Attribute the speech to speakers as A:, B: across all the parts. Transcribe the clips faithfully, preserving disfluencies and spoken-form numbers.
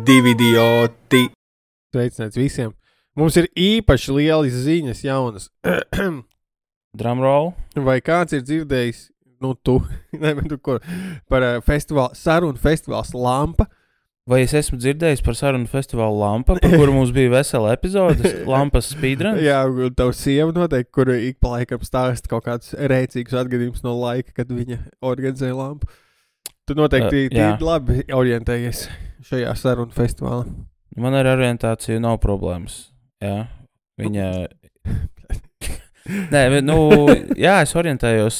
A: divi idioti. Sveicināts visiem. Mums ir īpaši lielas ziņas jaunas.
B: Drumroll.
A: Vai kāds ir dzirdējis, nu tu, ne, tu ko, par uh, festivālu, sarunu festivāls Lampa?
B: Vai es esmu dzirdējis par sarunu festivālu Lampa, par kuru mums bija vesela epizode, Lampas speedruns?
A: Jā, un tavu sieva noteikti, kur ik pa laikam stāst kaut kāds rēcīgs atgadījums no laika, kad viņa organizēja Lampu. Tu noteikti uh, tīri labi orientējies šajā sarunu festivālā.
B: Man ar orientāciju nav problēmas. Jā, viņa... Nē, nu, jā, es orientējos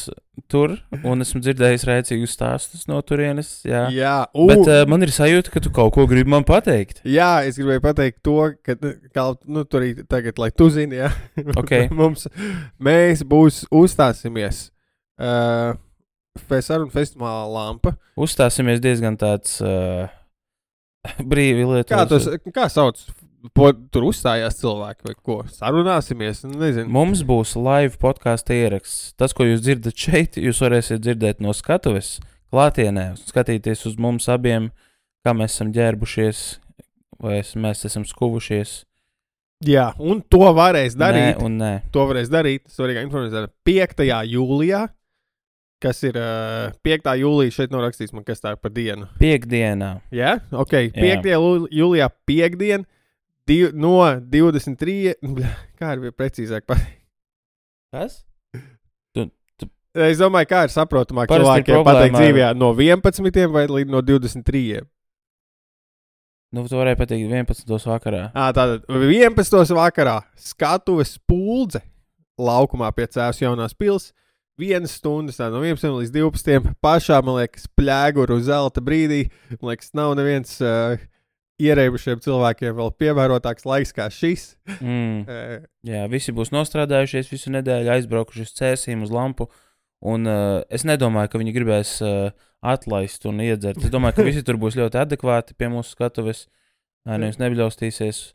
B: tur, un esmu dzirdējis rēcīgus stāstus no turienes, jā.
A: Jā, u...
B: Bet uh, man ir sajūta, ka tu kaut ko gribi man pateikt.
A: Jā, es gribēju pateikt to, ka, kā, nu, tur arī tagad, lai tu zini, jā.
B: Okay.
A: Mums, mēs būs uzstāsimies uh, sarunu festivālā Lampa.
B: Uzstāsimies diezgan tāds uh, brīvi lietos.
A: Kā, tos, kā sauc? Po, tur uzstājās cilvēki vai ko? Sarunāsimies? Nezinu.
B: Mums būs live podkāsta ieraksts. Tas, ko jūs dzirdat šeit, jūs varēsiet dzirdēt no skatuves klātienē. Skatīties uz mums abiem, kā mēs esam ģērbušies, vai es, mēs esam skuvušies.
A: Jā, un to varēs darīt.
B: Nē un nē.
A: To varēs darīt, svarīgā informācija, piektajā jūlijā, kas ir uh, piektā jūlija, šeit nav rakstīts man, kas tā ir par dienu.
B: Piekdienā.
A: Jā? Ok, piektajā jūlijā piekdien. Div, no divdesmit trīs, kā ir precīzāk pateikt?
B: Kas? Tu, tu...
A: Es domāju, kā ir saprotamāk
B: Parasti
A: cilvēkiem pateikt
B: ar...
A: dzīvijā no vienpadsmitiem vai līdz no divdesmit trīs.
B: Nu, tu varēji pateikt vienpadsmitos vakarā.
A: Ā, tātad vienpadsmitos vakarā skatuves Puldze laukumā pie Cēvas jaunās pils. Vienas stundas, tā no vienpadsmitiem līdz divpadsmitiem. Pašā, man liekas, pļēguru zelta brīdī. Man liekas, nav neviens... Uh, ierēbušiem cilvēkiem vēl pievērotāks laiks kā šis.
B: Mm. Jā, visi būs nostrādājušies visu nedēļu, aizbraukuši uz Cēsīm, uz Lampu, un uh, es nedomāju, ka viņi gribēs uh, atlaist un iedzert. Es domāju, ka visi tur būs ļoti adekvāti pie mūsu skatuves, neviens nebļaustīsies.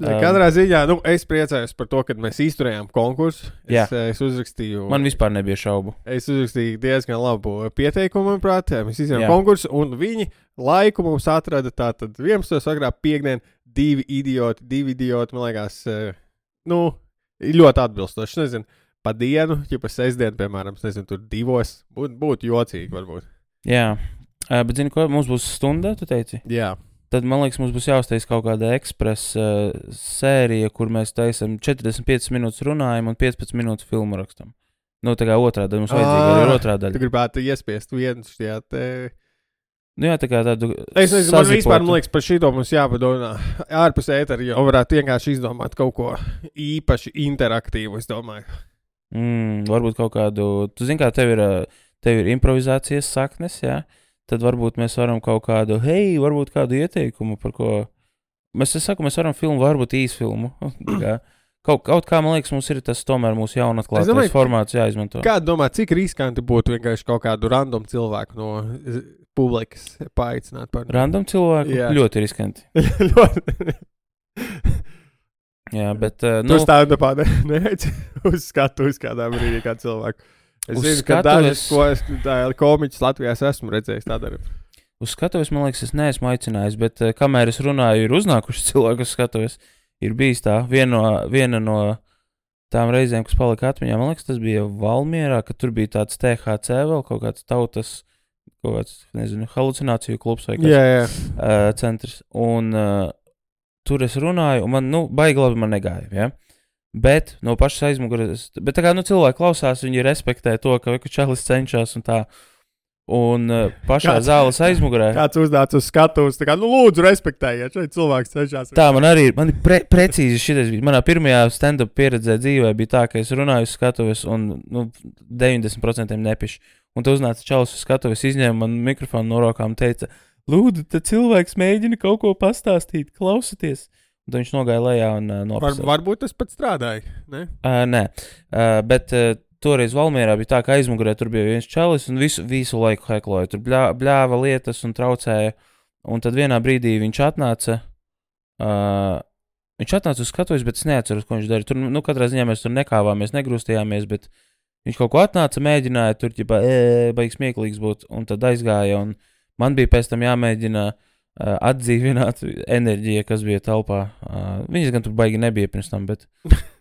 A: Um, Katrā ziņā, nu, es priecājos par to, kad mēs izturējām konkursu. Es, es uzrakstīju...
B: Man vispār nebija šaubu.
A: Es uzrakstīju diezgan labu pieteikumu, manuprāt. Mēs izturējām konkursu, un viņi laiku mums atrada tātad vienpadsmitos vakarā piekdien divi idioti, divi idioti, man liekas, nu, ļoti atbilstoši. Nezinu, pa dienu, ja pa sestdienu, piemēram, nezinu, tur divos, būtu būt jocīgi, varbūt.
B: Jā, bet zini ko, mums būs stunda, tu teici?
A: Jā.
B: Tad, man liekas, mums būs jāuztais kaut kāda ekspresa uh, sērija, kur mēs taisam četrdesmit piecas minūtes runājam un piecpadsmit minūtes filmu rakstam. Nu, tā kā otrā daļa, mums vajadzīga arī otrā daļa.
A: Tu gribētu iespiest vienu šajā te...
B: Nu jā, tā kā tādu
A: Es nezinu, man vispār, man liekas, par šito mums jāpadomā ārpus ētera, jo varētu vienkārši izdomāt kaut ko īpaši interaktīvu, es domāju.
B: Mm, varbūt kaut kādu... Tu zini, kā tev ir, tev ir improvizācijas saknes, jā? Tad varbūt mēs varam kaut kādu, hei, varbūt kādu ieteikumu, par ko... Mēs, es saku, mēs varam filmu, varbūt īsfilmu. kaut, kaut kā, man liekas, mums ir tas tomēr mūsu jaunatklātais domāju, formāts jāizmanto.
A: Kā domā, cik riskanti būtu vienkārši kaut kādu random cilvēku no publikas paaicināt par...
B: Random cilvēku? Jā. Ļoti riskanti.
A: Ļoti.
B: Jā, bet... Uh, nu...
A: Tu stāvi nepādi, neēc uz skatu uz kādā brīdī kā cilvēku. Es uz zinu, skatuves... ka dažas, ko es tā, komiķis Latvijās esmu redzējis tādā arī.
B: Uz skatuves, man liekas, es neesmu aicinājis, bet uh, kamēr es runāju, ir uznākuši cilvēku uz skatuves. Ir bijis tā, viena no, viena no tām reizēm, kas palika atmiņā, man liekas, tas bija Valmierā, ka tur bija tāds T H C vēl, kaut kāds tautas, kaut kāds, nezinu, halucināciju klubs vai kāds
A: jā, jā.
B: Uh, centrs. Un uh, tur es runāju, un man, nu, baigi labi man negāja, ja? Bet no pašas aizmuguras, bet tā kā, nu, cilvēki klausās, viņi respektē to, ka čalis cenšas un tā. Un uh, pašā kāds, zāles aizmugurē.
A: Kāds uznāca uz skatuves, tā kā, nu, lūdzu, respektējiet, šeit cilvēks cenšas.
B: Tā, man arī, man ir pre, precīzi šitais bija. Manā pirmajā stand-up pieredzē dzīvē bija tā, ka es runāju uz skatuves un, nu, deviņdesmit procenti nepišu. Un tu uznāca čalis uz skatuves, izņēma man mikrofonu no rokām un teica, lūdzu, tad cilvēks mēģina kaut ko pastāstīt, klausieties. Un viņš nogāja lejā un uh, nopasauja.
A: Var, varbūt tas pat strādāja, ne?
B: Uh, nē, uh, bet uh, toreiz Valmierā bija tā, ka aizmugurē tur bija viens čalis un visu, visu laiku hekloja. Tur bļā, bļāva lietas un traucēja. Un tad vienā brīdī viņš atnāca, uh, viņš atnāca uz skatuves, bet es neatceros, ko viņš darīja. Tur, nu, katrā ziņā mēs tur nekāvāmies, negrūstījāmies, bet viņš kaut ko atnāca, mēģināja tur, ķipā, e, baigs smieklīgs būt, un tad aizgāja, un man bija pēc tam jāmēģina uh, atdzīvināt enerģiju, kas bija telpā. Uh, viņas gan tur baigi nebija pirms tam, bet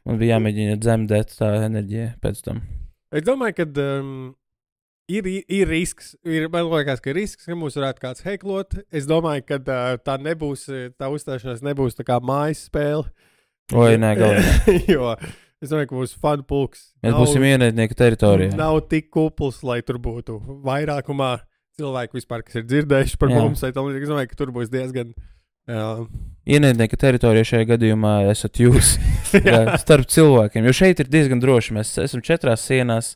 B: man bija jāmēģina dzemdēt tā enerģija pēc tam.
A: Es domāju, ka um, ir, ir risks, ir, man liekas, ka ir risks, ka mūs varētu kāds heklot. Es domāju, ka uh, tā nebūs, tā uzstāšanās nebūs tā kā mājas spēle.
B: Oi, nē, galvenā.
A: Jo es domāju, ka būs fanu pulks.
B: Mēs nav, būsim ienaidnieka teritorijā.
A: Nav tik kupls, lai tur būtu vairākumā cilvēku vispār, kas ir dzirdējuši par Jā. mums. Es domāju, ka tur būs diezgan... Uh,
B: Ienaidnieka teritorijā šajā gadījumā esat jūs jā, starp cilvēkiem, jo šeit ir diezgan droši. Mēs esam četrās sienās,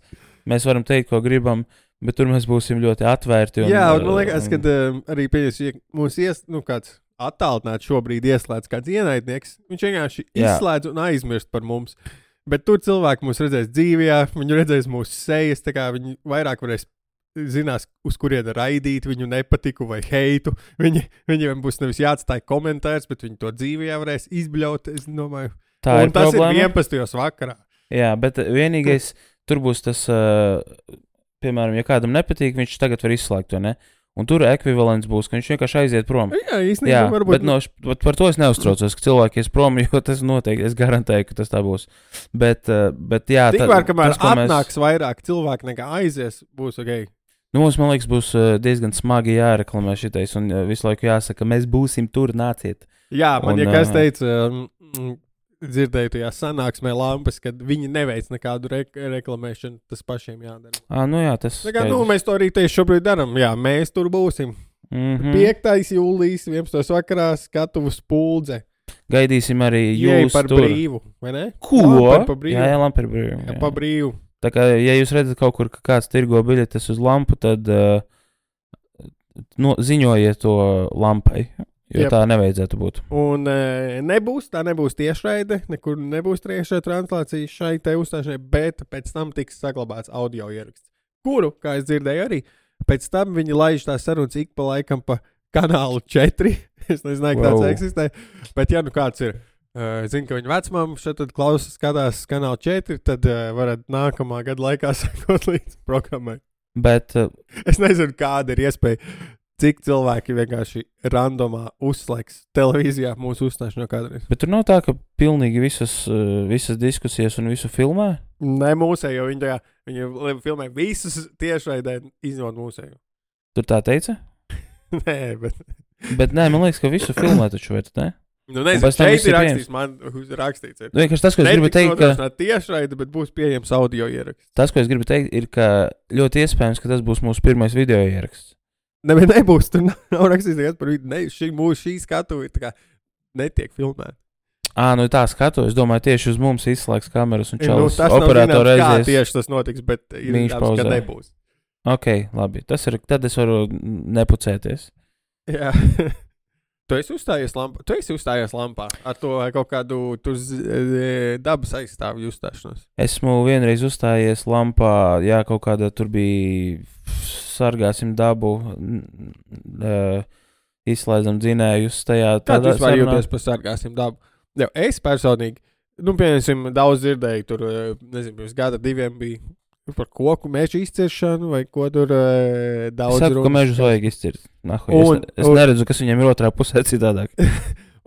B: mēs varam teikt, ko gribam, bet tur mēs būsim ļoti atvērti. Un,
A: jā, un man liekas, ka uh, arī pieņems, ja mums ies, nu, kāds attālināt šobrīd ieslēdz kāds ienaidnieks, viņš vienkārši jā. izslēdz un aizmirst par mums. Bet tur cilvēki mūs redzēs dzīvajā, viņi redzēs mūsu sejas, tā kā viņi vairāk varēs zinās, uz kurienu raidīt viņu nepatiku vai heitu. Viņi, viņiem būs nevis jāatstāj komentārs, bet viņi to dzīvajā varēs izbļaut, es domāju.
B: Tā
A: un
B: ir
A: tas
B: problēma.
A: ir vienpadsmitos vakarā.
B: Jā, bet vienīgais, tur būs tas, uh, piemēram, ja kādam nepatīk, viņš tagad var izslēgt to, ne? Un tur ekvivalents būs, ka viņš vienkārši aiziet prom.
A: Jā, īstenībā
B: Jā,
A: varbūt.
B: Bet no, par to es neuztraucos, ka cilvēki ies prom, jo tas noteikti, es garantēju, ka tas tā būs. Bet, bet jā,
A: tikmēr, kamēr
B: tas, ko
A: atnāks
B: mēs...
A: vairāk cilvēku nekā aizies, būs ok.
B: Nu, mums, man liekas, būs diezgan smagi jāreklamē šitais un visu laiku jāsaka, mēs būsim tur, nāciet.
A: Jā, man
B: un,
A: ja kas teica, um, dzirdēju tajā sanāksmē lampas, kad viņi neveic nekādu re reklamēšanu, tas pašiem jādara.
B: Ā, nu jā, tas...
A: Kā, nu, mēs to arī tieši šobrīd daram. Jā, mēs tur būsim.
B: Mm-hmm.
A: piektais jūlijas, vienpadsmitais vakarā, skatuves Puldze.
B: Gaidīsim arī
A: Jei
B: jūs
A: par
B: tur.
A: Brīvu, vai ne?
B: Ko?
A: Lampar pa brīvu.
B: Jā, jā, lampa par brīvu.
A: Jā, pa brīvu.
B: Tā kā, ja jūs redzat kaut kur, ka kāds tirgo biļetes uz lampu, tad uh, no, ziņojiet to lampai, jo Jep. tā nevajadzētu būt.
A: Un uh, nebūs, tā nebūs tiešraide, nekur nebūs tiešraide translācija šai te uzstāšanai, bet pēc tam tiks saglabāts audio ieraksts, kuru, kā es dzirdēju arī, pēc tam viņi laiž tās sarunas ik pa laikam pa kanālu četri, es nezināju, ka tāds wow. eksistē, bet ja nu kāds ir, Uh, zinu, ka viņa vecmāma šeit klausās, skatās kanālu četri, tad uh, varat nākamā gada laikā sekot līdz programmai.
B: Bet uh,
A: es nezinu, kāda ir iespēja, cik cilvēki vienkārši randomā uzslēgs televīzijā mūsu uzstāšanos kādreiz.
B: Bet tur nav tā, ka pilnīgi visas, uh, visas diskusijas un visu filmē?
A: Nē, mūsējo. Viņi, tajā, viņi filmē visas tiešraidē, izņemot mūsējo.
B: Tur tā teica?
A: Nē, bet...
B: bet nē, man liekas, ka visu filmē taču vajag, ne?
A: Nu, nezinu, šeit ir rakstīts, man rakstīts ir.
B: Vienkārši tas, ko es gribu teikt, ka...
A: Netiks tiešraide, bet būs pieejams audio ieraksts.
B: Tas, ko es gribu teikt, ir, ka ļoti iespējams, ka tas būs mūsu pirmais video ieraksts.
A: Ne, bet nebūs, tur nav, nav rakstīts nekas par video. Ne, šī mūsu šī skatu ir tā kā netiek filmēta.
B: Ā, nu tā skatu, es domāju, tieši uz mums izslēgs kameras un čalis.
A: Nu, tas nav zināms, kā tieši tas notiks, bet ir zināms, ka nebūs.
B: Ok, labi, tas ir, tad es varu nepucēties.
A: Jā. Tu esi uzstājies lampā, tu esi uzstājies lampā ar to kaut kādu tur dabas aizstāvju uzstāšanos.
B: Esmu vienreiz uzstājies lampā, jā, kaut kāda tur bija sargāsim dabu, uh, izslēdzam dzinējus tajā.
A: Kā tu vispār jūties par sargāsim dabu? Jā, es personīgi, nu, piemēram, daudz dzirdēju, tur, nezinu, pirms gada diviem bija par koku mežu izciršanu, vai ko tur uh, daudz
B: runāt. Es saku, ka mežus vajag izcirt. Nahu, un, es es un, neredzu, kas viņam ir otrā pusē citādāk.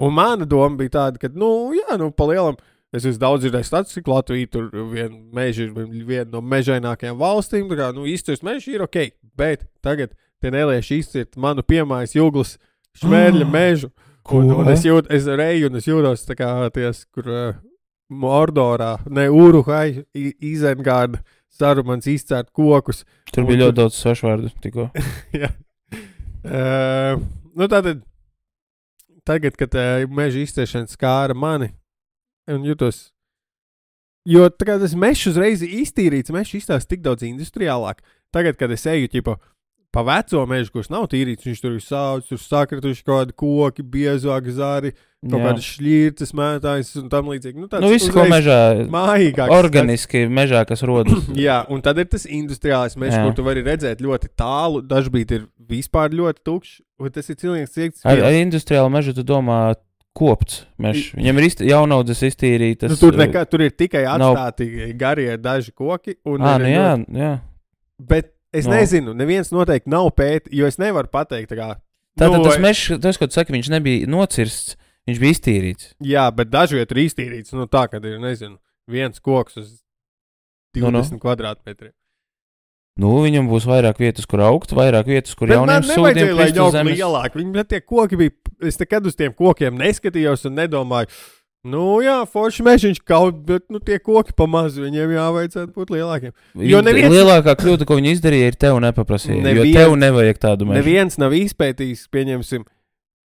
A: Un mana doma bija tāda, ka, nu, jā, nu, pa lielam, es esmu daudz dzirdējis statistiku, Latvija tur vien meži ir viena no mežainākajām valstīm, tā kā, nu, izcirst meži ir ok, bet tagad te nelieši izcirt manu piemājas Juglas šmērļa mežu. Un, un es jūtu, es reju un es jūtos tā kā ties, kur uh, Mordorā, ne Uruhai, Izengārda, Sarumans izcērt kokus.
B: Tur bija ļoti tur... daudz sašvārdu tikko.
A: Jā. Uh, nu tātad, tagad, kad uh, meža izciešana skāra mani, un jūtos, jo tā kā tas mešs uzreiz iztīrīts, mešs izstās tik daudz industriālāk. Tagad, kad es eju, ķipa, pa veco mežu, kurš nav tīrīts, viņš tur ir sauc, tur sakrituši kaut kādi koki, biezāki zari, kaut kādi šļirtas, mētājs un tam līdzīgi. Nu,
B: nu visu, ko mežā,
A: mājīgāks,
B: organiski tāds... mežā, kas rodas.
A: Jā, un tad ir tas industriālais mežs, kur tu vari redzēt ļoti tālu, dažbīt ir vispār ļoti tukšs, un tas ir cilvēks ciekts.
B: Ar, ar industriālu mežu tu domā kopts mežs. Viņam ir izti... jaunaudzes iztīrītas.
A: Nu, tur, nekā, tur ir tikai atstāti nav... garie daži koki. Un
B: Ā, nu jā,
A: ļoti...
B: jā.
A: Bet es no. nezinu, neviens noteikti nav pēti, jo es nevaru pateikt, tā kā,
B: Tātad
A: Nu,
B: tas mežs, tas, ko tu saki, viņš nebija nocirsts, viņš bija iztīrīts.
A: Jā, bet daži viet ir iztīrīts, nu tā, kad ir, nezinu, viens koks uz divdesmit
B: Nu, nu.
A: kvadrātmetriem.
B: Nu, viņam būs vairāk vietas, kur augt, vairāk vietas, kur
A: Bet
B: jauniem
A: man
B: sūdiem
A: nevajadzēja, lai
B: krist uz
A: viņi aug
B: zemes.
A: lielāk. Viņi tie koki bija, es nekad uz tiem kokiem neskatījos un nedomāju, nu jā, forši mežiņš kaut, bet nu tie koki pamaz, viņiem jāvajadzētu būt lielākiem. Jo neviens-
B: Lielākā kļūda, ko viņi izdarīja, ir tev nepaprasīja.
A: Neviens-
B: Jo tev nevajag tādu mežu.
A: Neviens nav izpētījis, pieņemsim,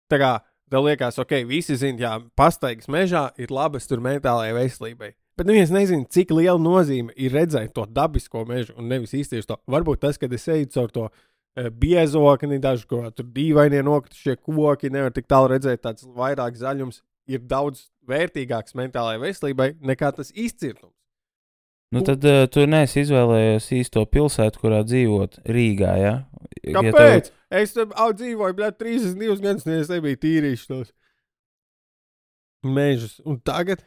A: tā kā tev liekas, ok, visi zina, jā, pastaigas mežā ir labas tur mentālajai veselībai. Bet neviens nezina, cik liela nozīme ir redzēt to dabisko mežu un nevis īsties to. Varbūt tas, kad es eju caur to e, biezokni, daži, ko tur dīvainie nokritušie koki, nevar tik tālu redzēt tāds vairāk zaļums, ir daudz vērtīgāks mentālajai veselībai nekā tas izcirtums.
B: Nu, tad uh, tu neesi izvēlējies īsto pilsētu, kurā dzīvot Rīgā, jā? Ja
A: Kāpēc? Ja es tam au dzīvoju, bļāt, trīsdesmit divus gadus, un es nebiju tīrījuši tos mežus. Un tagad,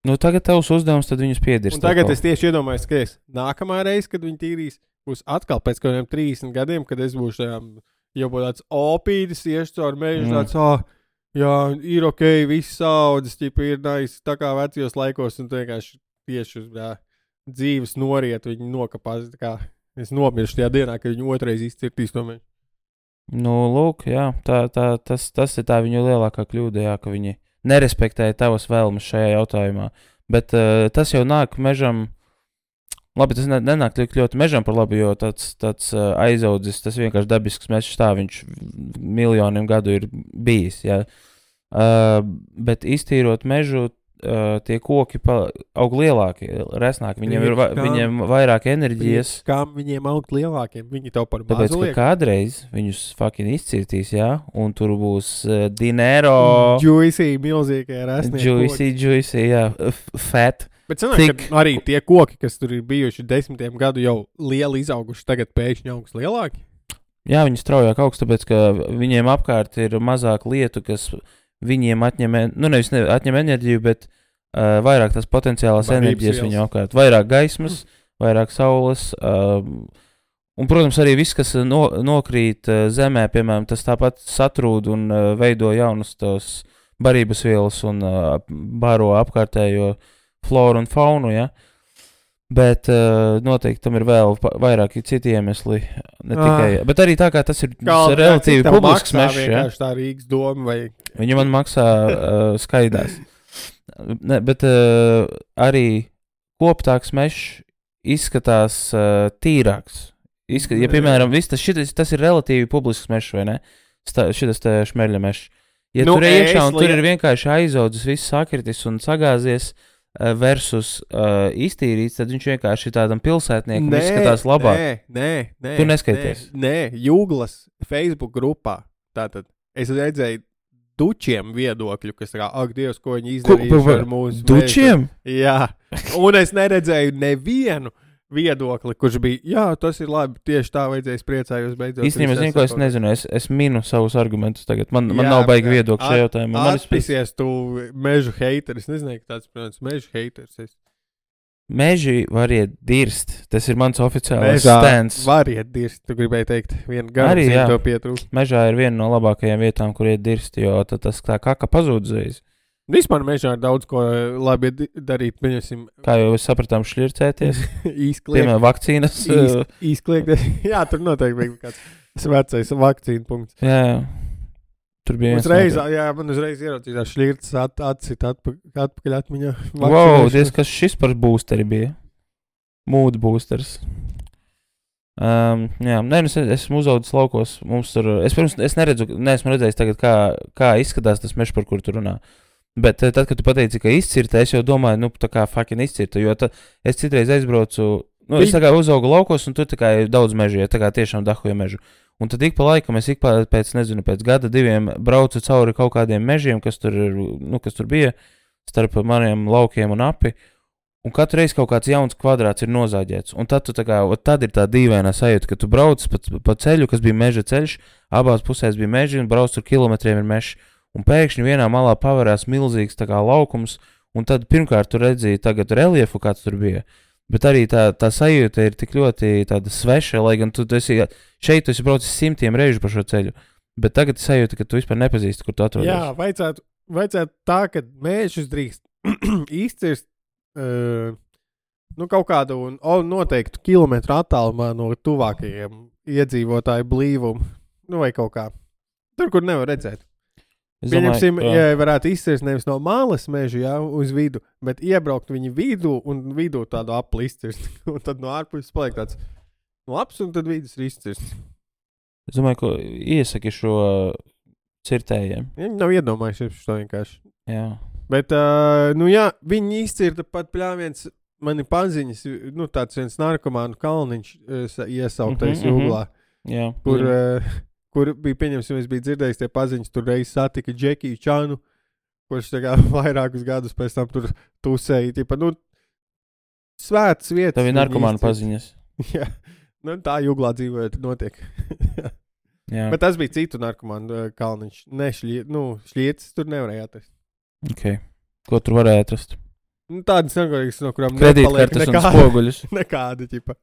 B: Nu, tagad tavs uzdevums, tad viņus piedirst.
A: un tagad es tieši iedomājos, ka es nākamā reize, kad viņi tīrīs, būs atkal pēc kādiem trīsdesmit gadiem, kad es būšu tajām, jau būtu tāds opītis, iešu caur mežu,
B: Mm.
A: tāds, ah, jā, ir ok, viss saudzes, ķipa ir nice, tā kā vecajos laikos, un tu vienkārši tieši uz jā, dzīves noriet, viņi nokapās, tā kā es nomiršu tajā dienā, kad viņi otrais izcirtīs to mežu.
B: Nu, lūk, jā, tā, tā, tas, tas ir tā viņu lielākā kļūda, jā, ka viņi nerespektēja tavas vēlmes šajā jautājumā. Bet uh, tas jau nāk mežam, labi, tas ne, nenāk tik ļoti mežam par labu, jo tāds, tāds uh, aizaudzis, tas vienkārši dabisks mežs tā, viņš miljoniem gadu ir bijis, jā. Uh, bet iztīrot mežu, uh, tie koki pa, aug lielāki, resnāki, viņiem ir va,
A: Kam?
B: viņiem vairāk enerģijas.
A: Kām viņiem augt lielākiem? Viņi tev par
B: Tāpēc,
A: mazu
B: ka
A: liek.
B: kādreiz viņus fucking izcirtīs, jā, un tur būs uh, dinero,
A: Juicy, milzīgie resnie koki.
B: juicy, juicy, jā, f- fat.
A: Bet sanāk,
B: Tik-
A: ka arī tie koki, kas tur ir bijuši desmitiem gadu jau lieli izauguši, tagad pēkšņi augs lielāki.
B: Jā, viņi straujāk augst, tāpēc, ka viņiem apkārt ir mazāk lietu, kas viņiem atņem, en- nu nevis ne, atņem enerģiju, bet uh, vairāk tās potenciālās
A: Barības
B: enerģijas
A: vielas.
B: viņu apkārt. Vairāk gaismas, vairāk saules. Uh, un, protams, arī viss, kas no, nokrīt uh, zemē, piemēram, tas tāpat satrūd un uh, veido jaunus tos barības vielas un uh, baro apkārtējo floru un faunu, ja? Bet uh, noteikti tam ir vēl pa- vairāki citi iemesli. Ne tikai,
A: Ah.
B: bet arī tā kā tas ir
A: Kā
B: relatīvi publisks mežs, ja?
A: vienkārši tā Rīgas doma vai
B: Viņi man maksā uh, skaidās. Ne, bet uh, arī koptāks mežs izskatās uh, tīrāks. Izskat, ja, piemēram, viss tas, šitas, tas ir relatīvi publisks mežs, vai ne? Sta, šitas te šmeļa mežs. Ja
A: Nu,
B: tur ir iekšā
A: es
B: un tur
A: liek-
B: ir vienkārši aizaudzis, viss sakritis un sagāzies uh, versus uh, iztīrīts, tad viņš vienkārši ir tādam pilsētniekam izskatās labāk.
A: Nē, nē, nē.
B: Tu neskaities.
A: Nē, nē, Jūglas Facebook grupā. Tātad es redzēju dučiem viedokļu, kas tā kā, ak, Dievs, ko viņi
B: Ko-
A: izdarījuši
B: pa-
A: ar mūsu
B: Dučiem?
A: mežu. Jā, un es neredzēju nevienu viedokli, kurš bija, jā, tas ir labi, tieši tā vajadzēja priecājos beidzot.
B: Īstenībā, zinu, ko es
A: saprotu.
B: nezinu. Es, es minu savus argumentus tagad. Man, man
A: Jā,
B: nav baigi
A: jā.
B: viedokļi šajā jautājumā. Man ir
A: Atpisies tu mežu heiteris. Es nezinu, ka tāds, protams, mežu heiteris. Es
B: Meži var iet dirst. Tas ir mans oficiālais
A: mežā
B: stends.
A: var iet dirst. Tu gribēji teikt, vienu garu
B: Arī, jā.
A: to pietrūkst.
B: Mežā ir viena no labākajām vietām, kur iet dirst, jo tad tas tā kaka pazūd uzreiz.
A: Vispār mežā ir daudz ko labi di- darīt. Pieņemsim,
B: Kā jau mēs sapratām, šļircēties.
A: īskliegt.
B: Piemēram, vakcīnas.
A: Īs-
B: uh,
A: Īskliegt. Jā, tur noteikti bija kāds vecais vakcīnu punkts.
B: Jā, tur bija viens.
A: Uzreiz,
B: noteikti.
A: jā, man uzreiz ieraucījās šļirts at, atcīt atpa, atpakaļ atmiņā.
B: Wow,
A: Vakcinēšanas.
B: diez, kas šis par boosteri bija? Mood boosters. Um, jā, nē, nu es esmu uzaudzis laukos. Mums tur, es, pirms, es neredzu, neesmu redzējis tagad, kā, kā izskatās tas mežs, par kuru tu runā. Bet eh, tad, kad tu pateici, ka izcirta, es jau domāju, nu, tā kā fucking izcirta, jo tad es citreiz aizbraucu, nu, es
A: Viņi-
B: tā kā uzaugu laukos, un tur tā kā ir daudz mežu, ja tā kā tiešām dahoja mežu. Un tad ik pa laikam es ik pa, pēc, nezinu, pēc gada diviem braucu cauri kaut kādiem mežiem, kas tur, ir, nu, kas tur bija, starp maniem laukiem un api. Un katru reizi kaut kāds jauns kvadrāts ir nozāģēts. Un tad, tu tā kā, ot tad ir tā dīvainā sajūta, ka tu brauc pa, pa ceļu, kas bija meža ceļš, abās pusēs bija meži, un brauc tur kilometriem ir mežs. Un pēkšņi vienā malā pavērās milzīgs tā kā laukums, un tad pirmkārt tu redzēji tagad reliefu, kāds tur bija. Bet arī tā, tā sajūta ir tik ļoti tāda sveša, lai gan tu, tu esi, šeit tu esi braucis simtiem reižu pa šo ceļu. Bet tagad es sajūtu, ka tu vispār nepazīsti, kur tu atrodies.
A: Jā, vajadzētu, vajadzētu tā, ka mēžus drīkst izcirst uh, nu, kaut kādu un, un noteiktu kilometru attālumā no tuvākajiem iedzīvotāju blīvumu. Nu, vai kaut kā. Tur, kur nevar redzēt. Pieņemsim, ja varētu izcirst nevis no malas mežu, jā, uz vidu, bet iebraukt viņu vidū un vidū tādu apli izcirst. Un tad no ārpuses paliek tāds labs un tad vidus ir izcirsts.
B: Es domāju, ka iesaki šo cirtējiem.
A: Viņi nav iedomājušies šo vienkārši.
B: Jā. Bet,
A: uh, nu jā, viņi izcirta pat pļāviens, mani paziņas, nu tāds viens narkomānu kalniņš iesauktais
B: mm-hmm,
A: jūglā,
B: jā,
A: kur,
B: jā.
A: Uh, kur bija, pieņemsim, es biju dzirdējis tie paziņas, tur reiz satika Džekiju Čanu, kurš tā kā vairākus gadus pēc tam tur tusēja, tipa, nu, svētas vietas.
B: Tā bija narkomānu paziņas.
A: Jā, nu tā jūglā dzīvojot notiek. Jā. Bet tas bija citu narkomānu kalniņš. Ne, šļie, nu, šļietas tur nevarēja atrast.
B: Ok. Ko tur varēja atrast?
A: Nu, tādas narkotikas, no kurām
B: kredītkartes un spoguļus.
A: Nekādi, ķipa,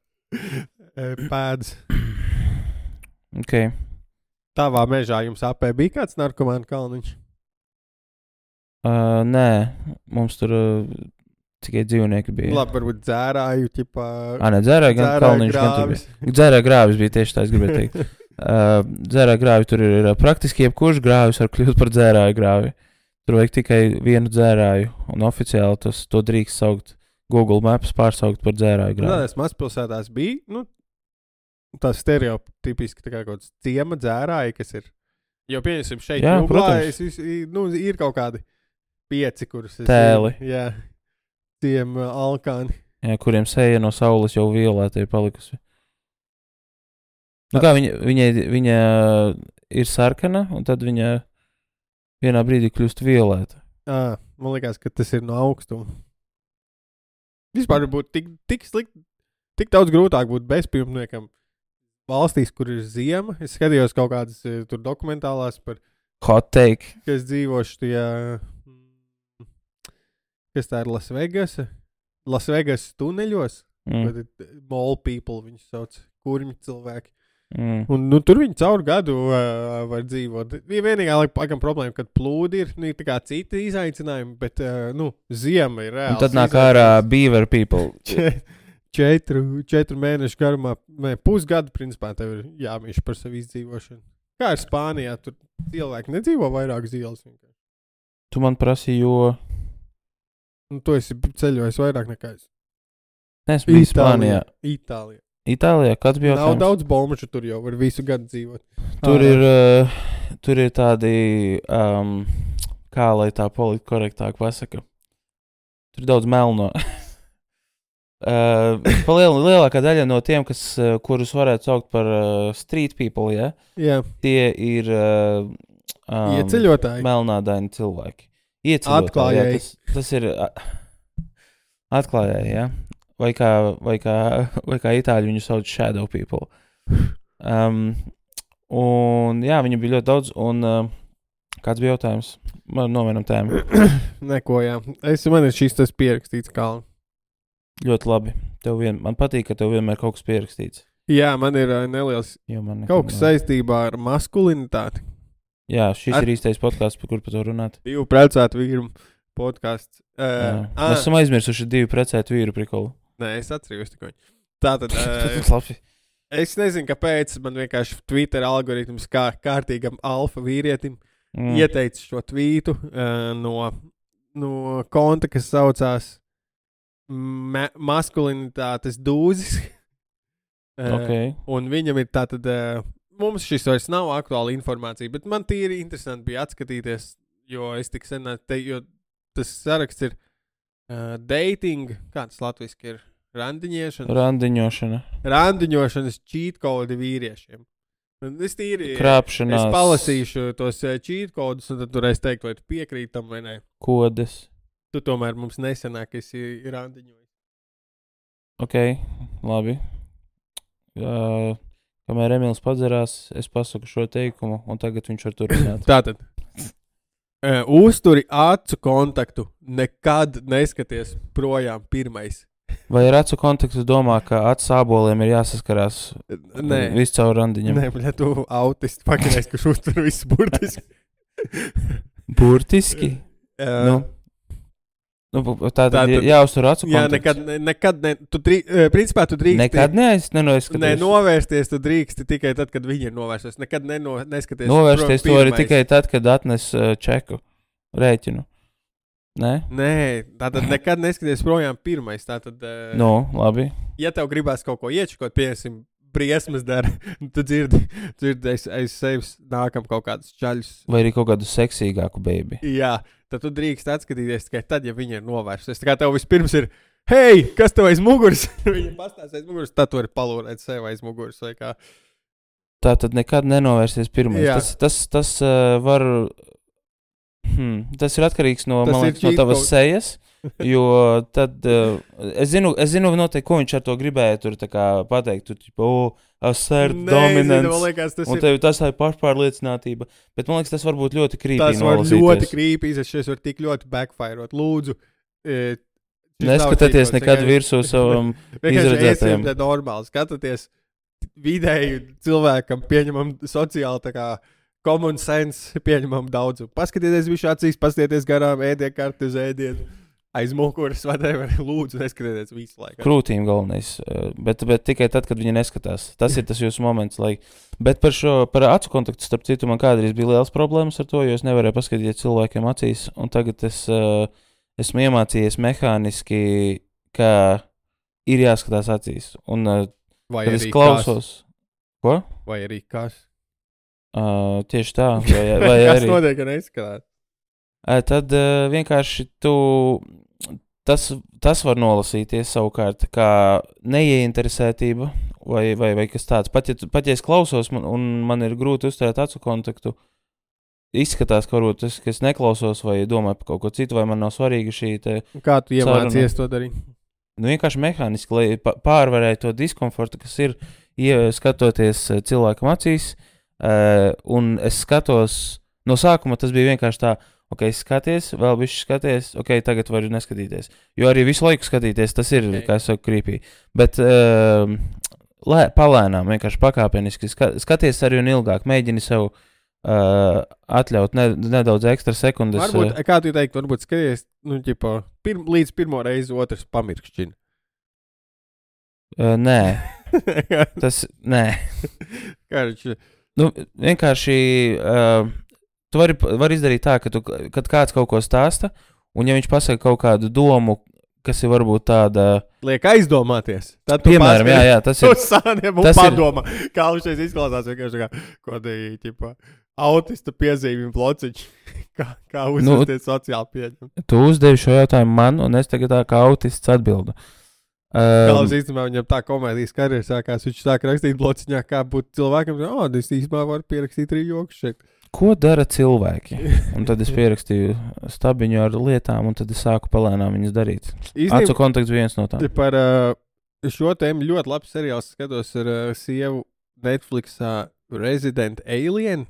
A: pēdas.
B: Ok.
A: Tavā mežā jums apē bija kāds narkomānu kalniņš?
B: Uh, nē, mums tur uh, tikai dzīvnieki bija.
A: Labi, varbūt dzērāju, ķipā...
B: Ā, ne, dzērāju gan kalniņš, gan tur bija. Dzērāju grāvis bija tieši tā, es gribēju teikt. Uh, dzērāju grāvi tur ir, ir praktiski jebkurš grāvis var kļūt par dzērāju grāvi. Tur vajag tikai vienu dzērāju, un oficiāli tas, to drīkst saukt Google Maps pārsaukt par dzērāju grāvi.
A: Nē, es mazpilsētās bija, nu, tā stereotipiski tā kā kaut kāds ciema dzērāji, kas ir, jo pieņemsim šeit
B: jā,
A: jūglā, es, nu, ir kaut kādi pieci, kurus es...
B: Tēli.
A: Jā, ciema alkāni.
B: Jā, kuriem seja no saules jau violēta ir palikusi. Nu kā, viņa, viņa, viņa ir sarkana, un tad viņa vienā brīdī kļūst violēta.
A: Ā, man liekas, ka tas ir no augstuma. Vispār būtu tik, tik slikti, tik daudz grūtāk būt bezpilsniekam valstīs, kur ir ziema. Es skatījos kaut kādas tur dokumentālās par...
B: Hot take.
A: Kas dzīvoši tajā... Kas tā ir Las Vegas? Las Vegas tuneļos. Mm. Mall people viņus sauc. Kurņi cilvēki. Mm. Un nu, tur viņi caur gadu uh, var dzīvot. Vienīgā laikam problēma, kad plūdi ir, nu, ir tā kā citi izaicinājumi, bet, uh, nu, ziema ir reāls.
B: Un tad nāk ārā beaver people.
A: Četru, četru mēnešu garumā, ne, pusgadu, principā, tev ir jāmīš par savu izdzīvošanu. Kā ir Spānijā, tur cilvēki nedzīvo vairāk zīles.
B: Tu man prasīji, jo...
A: Nu, tu esi ceļojis vairāk nekā es.
B: Es biju Spānijā.
A: Itālijā.
B: Itālijā, kāds bija
A: jautājums? Nav daudz bombušu tur jau, var visu gadu dzīvot.
B: Tur ir, uh, tur ir tādi, um, kā lai tā politi korektāk pasaka, tur ir daudz melno. Uh, liel, lielākā daļa no tiem, kas, uh, kurus varētu saukt par uh, street people, ja?
A: Jā.
B: Tie ir uh, um,
A: ieceļotāji.
B: Melnādaini cilvēki. Ieceļotāji,
A: atklājēji.
B: Jā, tas, tas ir uh, atklājēji, ja? Vai kā, vai, kā, vai kā itāļi viņu sauc shadow people. Um, un jā, viņi bija ļoti daudz, un uh, kāds bija jautājums? Man novienam tēmu.
A: Neko, jā. Es, man ir šis tas pierakstīts kalnu.
B: Ļoti labi. Tev vien, man patīk, ka tev vienmēr kaut kas pierakstīts.
A: Jā, man ir uh, neliels
B: man
A: kaut kas saistībā ar maskulinitāti.
B: Jā, šis
A: ar...
B: ir īstais podcasts, par kur par to runāt.
A: Divu precētu vīru podcasts. Uh,
B: Mēs esam aizmirsuši divu precētu vīru prikolu.
A: Nē, es atceros tikai. Tātad, uh, es nezinu, kāpēc man vienkārši Twitter algoritms kā kārtīgam alfa vīrietim mm. ieteica šo tvītu uh, no, no konta, kas saucās ma- maskulinitātes dūzis. uh,
B: okay.
A: Un viņam ir tātad, uh, mums šis vairs nav aktuāla informācija, bet man tīri interesanti bija atskatīties, jo es tik sen, te, jo tas saraksts ir uh, dating, kāds latviski ir? Randiņošana.
B: Randiņošana.
A: Randiņošanas cheat kodi vīriešiem. Un es tīri...
B: Krāpšanās.
A: Es palasīšu tos cheat kodus, un tad tur es teiktu, vai tu piekrīt tam vai nē.
B: Kodes.
A: Tu tomēr mums nesenāk esi randiņojis.
B: Ok, labi. Uh, kamēr Emīls padzerās, es pasaku šo teikumu, un tagad viņš var turpināt.
A: Tātad. Uh, uzturi acu kontaktu. Nekad neskaties projām pirmais.
B: Vai ar acu kontaktu domā, ka acu sāboliem ir jāsaskarās visu caur randiņam?
A: Nē, bļa, tu autisti pakarēs, kurš uztur visu burtiski.
B: Burtiski?
A: Uh,
B: nu, nu, tā tad jāuztur acu kontaktu.
A: Jā, nekad, ne, nekad ne, tu drī, principā tu drīksti.
B: Nekad neaiz, nenoizskaties.
A: Ne, novērsties tu drīksti tikai tad, kad viņi ir novērsties. Nekad neno, neskaties.
B: Novērsties tu arī tikai tad, kad atnes uh, čeku, rēķinu. Nē?
A: Nē, tātad nekad neskaties projām pirmais. Tātad, uh,
B: no, labi.
A: Ja tev gribās kaut ko iečakot, piesim, briesmas dara, tu dzirdi, dzirdi aiz, aiz sevis nākam kaut kādus čaļus.
B: Vai arī kaut kādu seksīgāku baby.
A: Jā, tad tu drīkst atskatīties tikai tad, ja viņi ir novērsusies. Tā kā tev vispirms ir, hei, kas tev aiz muguras? Viņi pastāst aiz muguras, tad tu vari palūrēt sev aiz muguras vai kā.
B: Tā tad nekad nenovērsties pirmais. Jā. Tas, tas, tas uh, var... Hmm, tas ir atkarīgs no, man liekas, no tavas sejas, jo tad, uh, es zinu, es zinu noteikti, ko viņš ar to gribēja tur tā kā pateikt, tu tipo, oh, assert, dominance, zinu, liekas, tas un tev ir... tas ir pašpārliecinātība, bet man liekas, tas var būt ļoti creepy
A: tas
B: nolasīties.
A: Tas var ļoti creepy, es šeit var tik ļoti backfireot, lūdzu. E,
B: neskatieties nekad virsū savam izredzētajam.
A: Vienkārši normāli, skatieties vidēji cilvēkam pieņemam sociāli tā kā common sense pieņemam daudz. Paskatieties visu acīs, paskatieties garām, ēdiet karti uz ēdienu, aiz mukuras, whatever, lūdzu, neskatieties visu laiku.
B: Krūtīm galvenais, bet, bet tikai tad, kad viņi neskatās. Tas ir tas jūsu moments, lai... Bet par šo, par acu kontaktu, starp citu, man kādreiz bija liels problēmas ar to, jo es nevarēju paskatīt cilvēkiem acīs, un tagad es uh, esmu iemācījies mehāniski, ka ir jāskatās acīs. Un uh, kad es klausos... Kas? Ko?
A: Vai arī kas?
B: Uh, tieši tā, vai, vai
A: kas
B: arī...
A: Kas notiek, ka neizskatās?
B: Uh, tad uh, vienkārši tu... Tas, tas var nolasīties savukārt kā neieinteresētība vai, vai, vai kas tāds. Pat ja, pat ja es klausos man, un man ir grūti uzturēt acu kontaktu, izskatās, ka varbūt es, ka es neklausos vai domāju par kaut ko citu, vai man nav svarīga šī te...
A: Kā tu iemācies to darīt?
B: Nu, vienkārši mehāniski, lai pārvarētu to diskomfortu, kas ir skatoties cilvēkam acīs. Uh, un es skatos, no sākuma tas bija vienkārši tā, ok, skaties, vēl bišķi skaties, ok, tagad varu neskatīties. Jo arī visu laiku skatīties, tas ir, okay. Kā es saku, creepy. Bet uh, lē, palēnām, vienkārši pakāpeniski, ska, skaties arī un ilgāk, mēģini sev uh, atļaut ne, nedaudz ekstra sekundes.
A: Varbūt, uh, kā tu teikt, varbūt skaties, nu, ģipa, pirm, līdz pirmo reizi otrs pamirkšķina.
B: Uh, nē, tas, nē.
A: Kā viņš...
B: Nu, vienkārši uh, tu vari, vari izdarīt tā, ka tu, kad kāds kaut ko stāsta, un ja viņš pasaka kaut kādu domu, kas ir varbūt tāda...
A: Liek aizdomāties. Tad tu
B: piemēram, jā, jā, tas ir...
A: Uz sāniem un padomā, ir... kā viņš šeit izklausās vienkārši kā, ko te, ķipa, autista piezīmju plociņš, kā, kā uzvesties nu, sociāli pieņem.
B: Tu uzdevi šo jautājumu man, un es tagad tā kā autists atbildu.
A: Um, Galvas īstenībā viņam tā komēdijas karjera sākās, viņš sāk rakstīt blociņā, kā būt cilvēkam, o, es īstenībā varu pierakstīt arī joks šeit.
B: Ko dara cilvēki? Un tad es pierakstīju stabiņu ar lietām, un tad es sāku palēnām viņas darīt. Īstenībā, acu kontakts viens no tām.
A: Par uh, šo tēmu ļoti labs seriāls skatos ar uh, sievu Netflixā Resident Alien.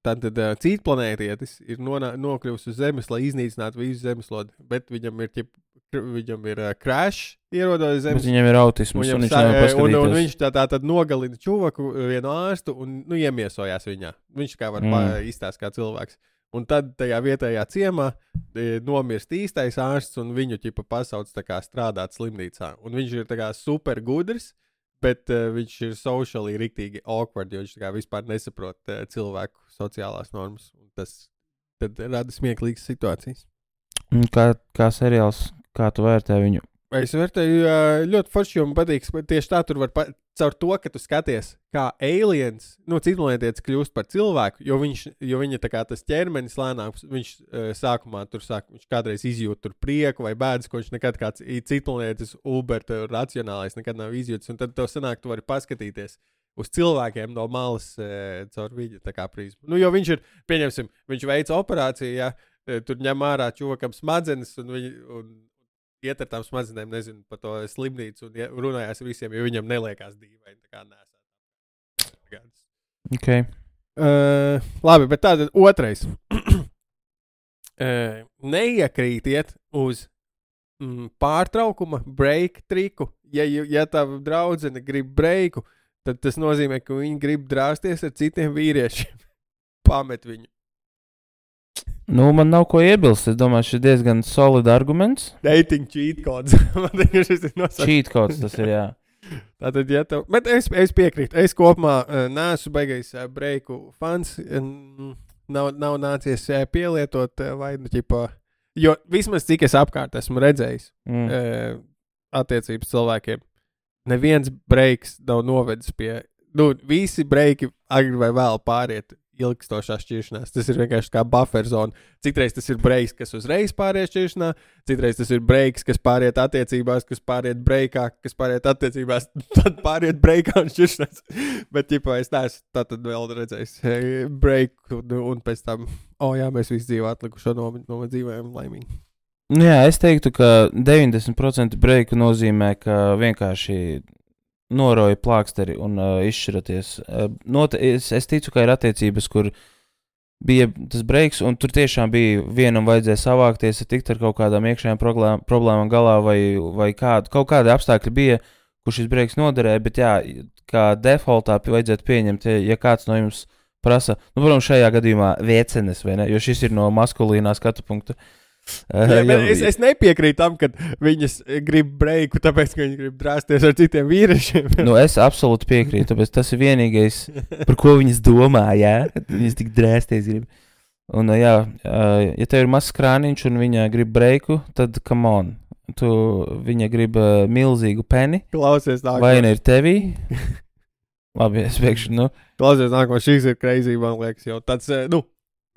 A: Tātad uh, cītplanētietis ir nonā, nokļuvis uz Zemes, lai iznīcinātu visu zemeslodi, bet viņam ir, ķip, viņam ir uh, crash ierodojas Zemes.
B: Bet viņam ir autisms, un, un viņš nevar paskatīties.
A: Un, un viņš tā, tā tad nogalina čuvaku, vienu ārstu, un nu, iemiesojās viņā. Viņš kā var mm. izstāst kā cilvēks. Un tad tajā vietējā ciemā e, nomirst īstais ārsts, un viņu ķipa pasauc tā kā strādāt slimnīcā. Un viņš ir tā kā super gudrs, bet uh, viņš ir sociāli riktīgi awkward, jo viņš tā kā vispār nesaprot uh, cilvēku sociālās normas. Un tas tad rada smieklīgas situācijas.
B: Un kā, kā seriāls, kā tu vērtē viņu?
A: Es vērtēju uh, ļoti forši, jo man patīk, tieši tā tur var, pa, caur to, ka tu skaties, kā aliens, nu, citplanētietis kļūst par cilvēku, jo, viņš, jo viņa tā kā tas ķermenis lēnāk, viņš uh, sākumā tur sāk, viņš kādreiz izjūt tur prieku vai bēdas, ko viņš nekad kāds citplanētietis uber racionālais nekad nav izjūtis, un tad tev sanāk, tu vari paskatīties uz cilvēkiem no malas uh, caur viņa tā kā prizmu. Nu, jo viņš ir, pieņemsim, viņš veica operāciju, ja, tur ņem ārā čuvakam smadzenes, un viņi, un iet ar tām smadzenēm, nezinu, par to slimnīcu un runājās visiem, jo viņam neliekās dīvaini, tā kā nesāt.
B: Ok.
A: Uh, labi, bet tātad otrais. uh, neiekrītiet uz mm, pārtraukuma, break triku. Ja, ja tava draudzene grib breiku, tad tas nozīmē, ka viņi grib drāsties ar citiem vīriešiem. Pamet viņu.
B: Nu, man nav ko iebilst. Es domāju, šis ir diezgan solid arguments.
A: Dating cheat codes. Man liekas, šis ir nosaukt.
B: Cheat codes tas ir, jā.
A: Tātad, ja tev... Bet es, es piekrītu. Es kopumā uh, neesmu baigais uh, breiku fans. Uh, nav, nav nācies uh, pielietot uh, vai, nu, ķipa... Jo vismaz cik es apkārt esmu redzējis mm. uh, attiecības cilvēkiem, neviens breiks nav novedis pie... Nu, visi breiki agri vai vēl pāriet ilgstošā šķiršanās. Tas ir vienkārši kā buffer zona. Citreiz tas ir breiks, kas uzreiz pāriet šķiršanā, citreiz tas ir breiks, kas pāriet attiecībās, kas pāriet breikā, kas pāriet attiecībās, tad pāriet breikā un šķiršanās. Bet, ķipā, es neesmu tātad vēl redzējis breiku un pēc tam, o oh, jā, mēs visi dzīvā atlikušo nomet, nomet dzīvējam laimīgi.
B: Jā, es teiktu, ka deviņdesmit procenti breiku nozīmē, ka vienkārši noroja plāksteri un uh, izšķiraties. Uh, not, es, es ticu, ka ir attiecības, kur bija tas breiks, un tur tiešām bija vienam vajadzēja savākties, tikt ar kaut kādām iekšējām problēm, problēmām galā, vai, vai kādu, kaut kādi apstākļi bija, kur šis breiks noderēja, bet jā, kā defaultā vajadzētu pieņemt, ja, ja kāds no jums prasa, nu, protams, šajā gadījumā viecenes, vai ne, jo šis ir no maskulīnā skatu punkta.
A: Jā, uh, es, es nepiekrītu tam, ka viņas grib breiku, tāpēc, ka viņi grib drāsties ar citiem vīriešiem.
B: Nu, es absolūti piekrītu, tāpēc tas ir vienīgais, par ko viņas domā, jā, viņas tik drāsties grib. Un, jā, ja tev ir mazs krāniņš un viņa grib breiku, tad come on, tu, viņa grib milzīgu peni.
A: Klausies nākamā.
B: Vai ne ir tevī? Labi, es pēkšu, nu.
A: Klausies nākamā, šīs ir crazy, man liekas, jau tāds, nu,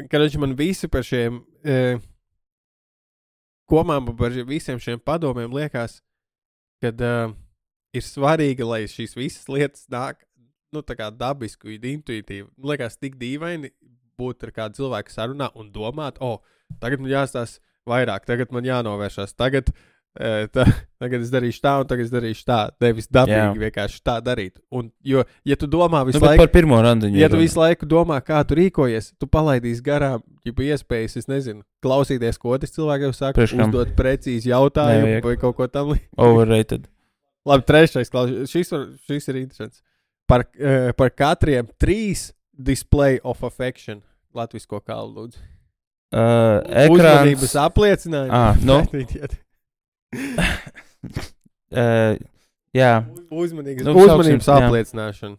A: kad viņš man visi par šiem... E, Komām par visiem šiem padomiem liekas, kad uh, ir svarīgi, lai šīs visas lietas nāk, nu, tā kā dabiski, intuitīvi. Liekas, tik dīvaini būt ar kādu cilvēku sarunā un domāt, o, oh, tagad man jāstās vairāk, tagad man jānovēršās, tagad, uh, tā, tagad es darīšu tā un tagad es darīšu tā. Nevis dabīgi Jā. vienkārši tā darīt. Un, jo, ja tu domā visu
B: nu,
A: laiku...
B: Par pirmo randiņu.
A: Ja tu visu laiku domā, kā tu rīkojies, tu palaidīsi garām, ja iespējas, es nezinu, klausīties, ko tas cilvēks jau saka, Priekškam. uzdot precīzi jautājumu Nevajag. vai kaut ko tam līdzi.
B: Overrated.
A: Labi, trešais klausīties. Šis, šis ir interesants. Par, uh, par katriem trīs display of affection. Latvisko kālu lūdzu.
B: Uh, ekrāns.
A: Uzmanības apliecinājumi.
B: Ah, no. uh, jā.
A: Uzmanības,
B: nu,
A: uzmanības
B: sauksim,
A: apliecināšana.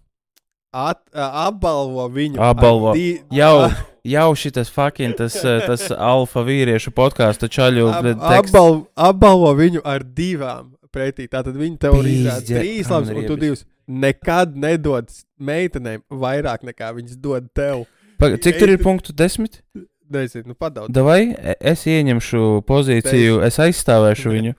A: At, uh, apbalvo viņu.
B: Apbalvo.
A: Di...
B: Jau, jau šitas fucking tas, tas alfa vīriešu podkāstu čaļu
A: Ab,
B: teksts.
A: Apbalvo, apbalvo viņu ar divām pretī. Tātad viņi tev izrāda trīs labs, un tu divas nekad nedod meitenēm vairāk nekā viņas dod tev.
B: Paga, cik tur ir punktu desmit?
A: Nezinu, nu padaudz.
B: Davai, es ieņemšu pozīciju, es aizstāvēšu ne. viņu.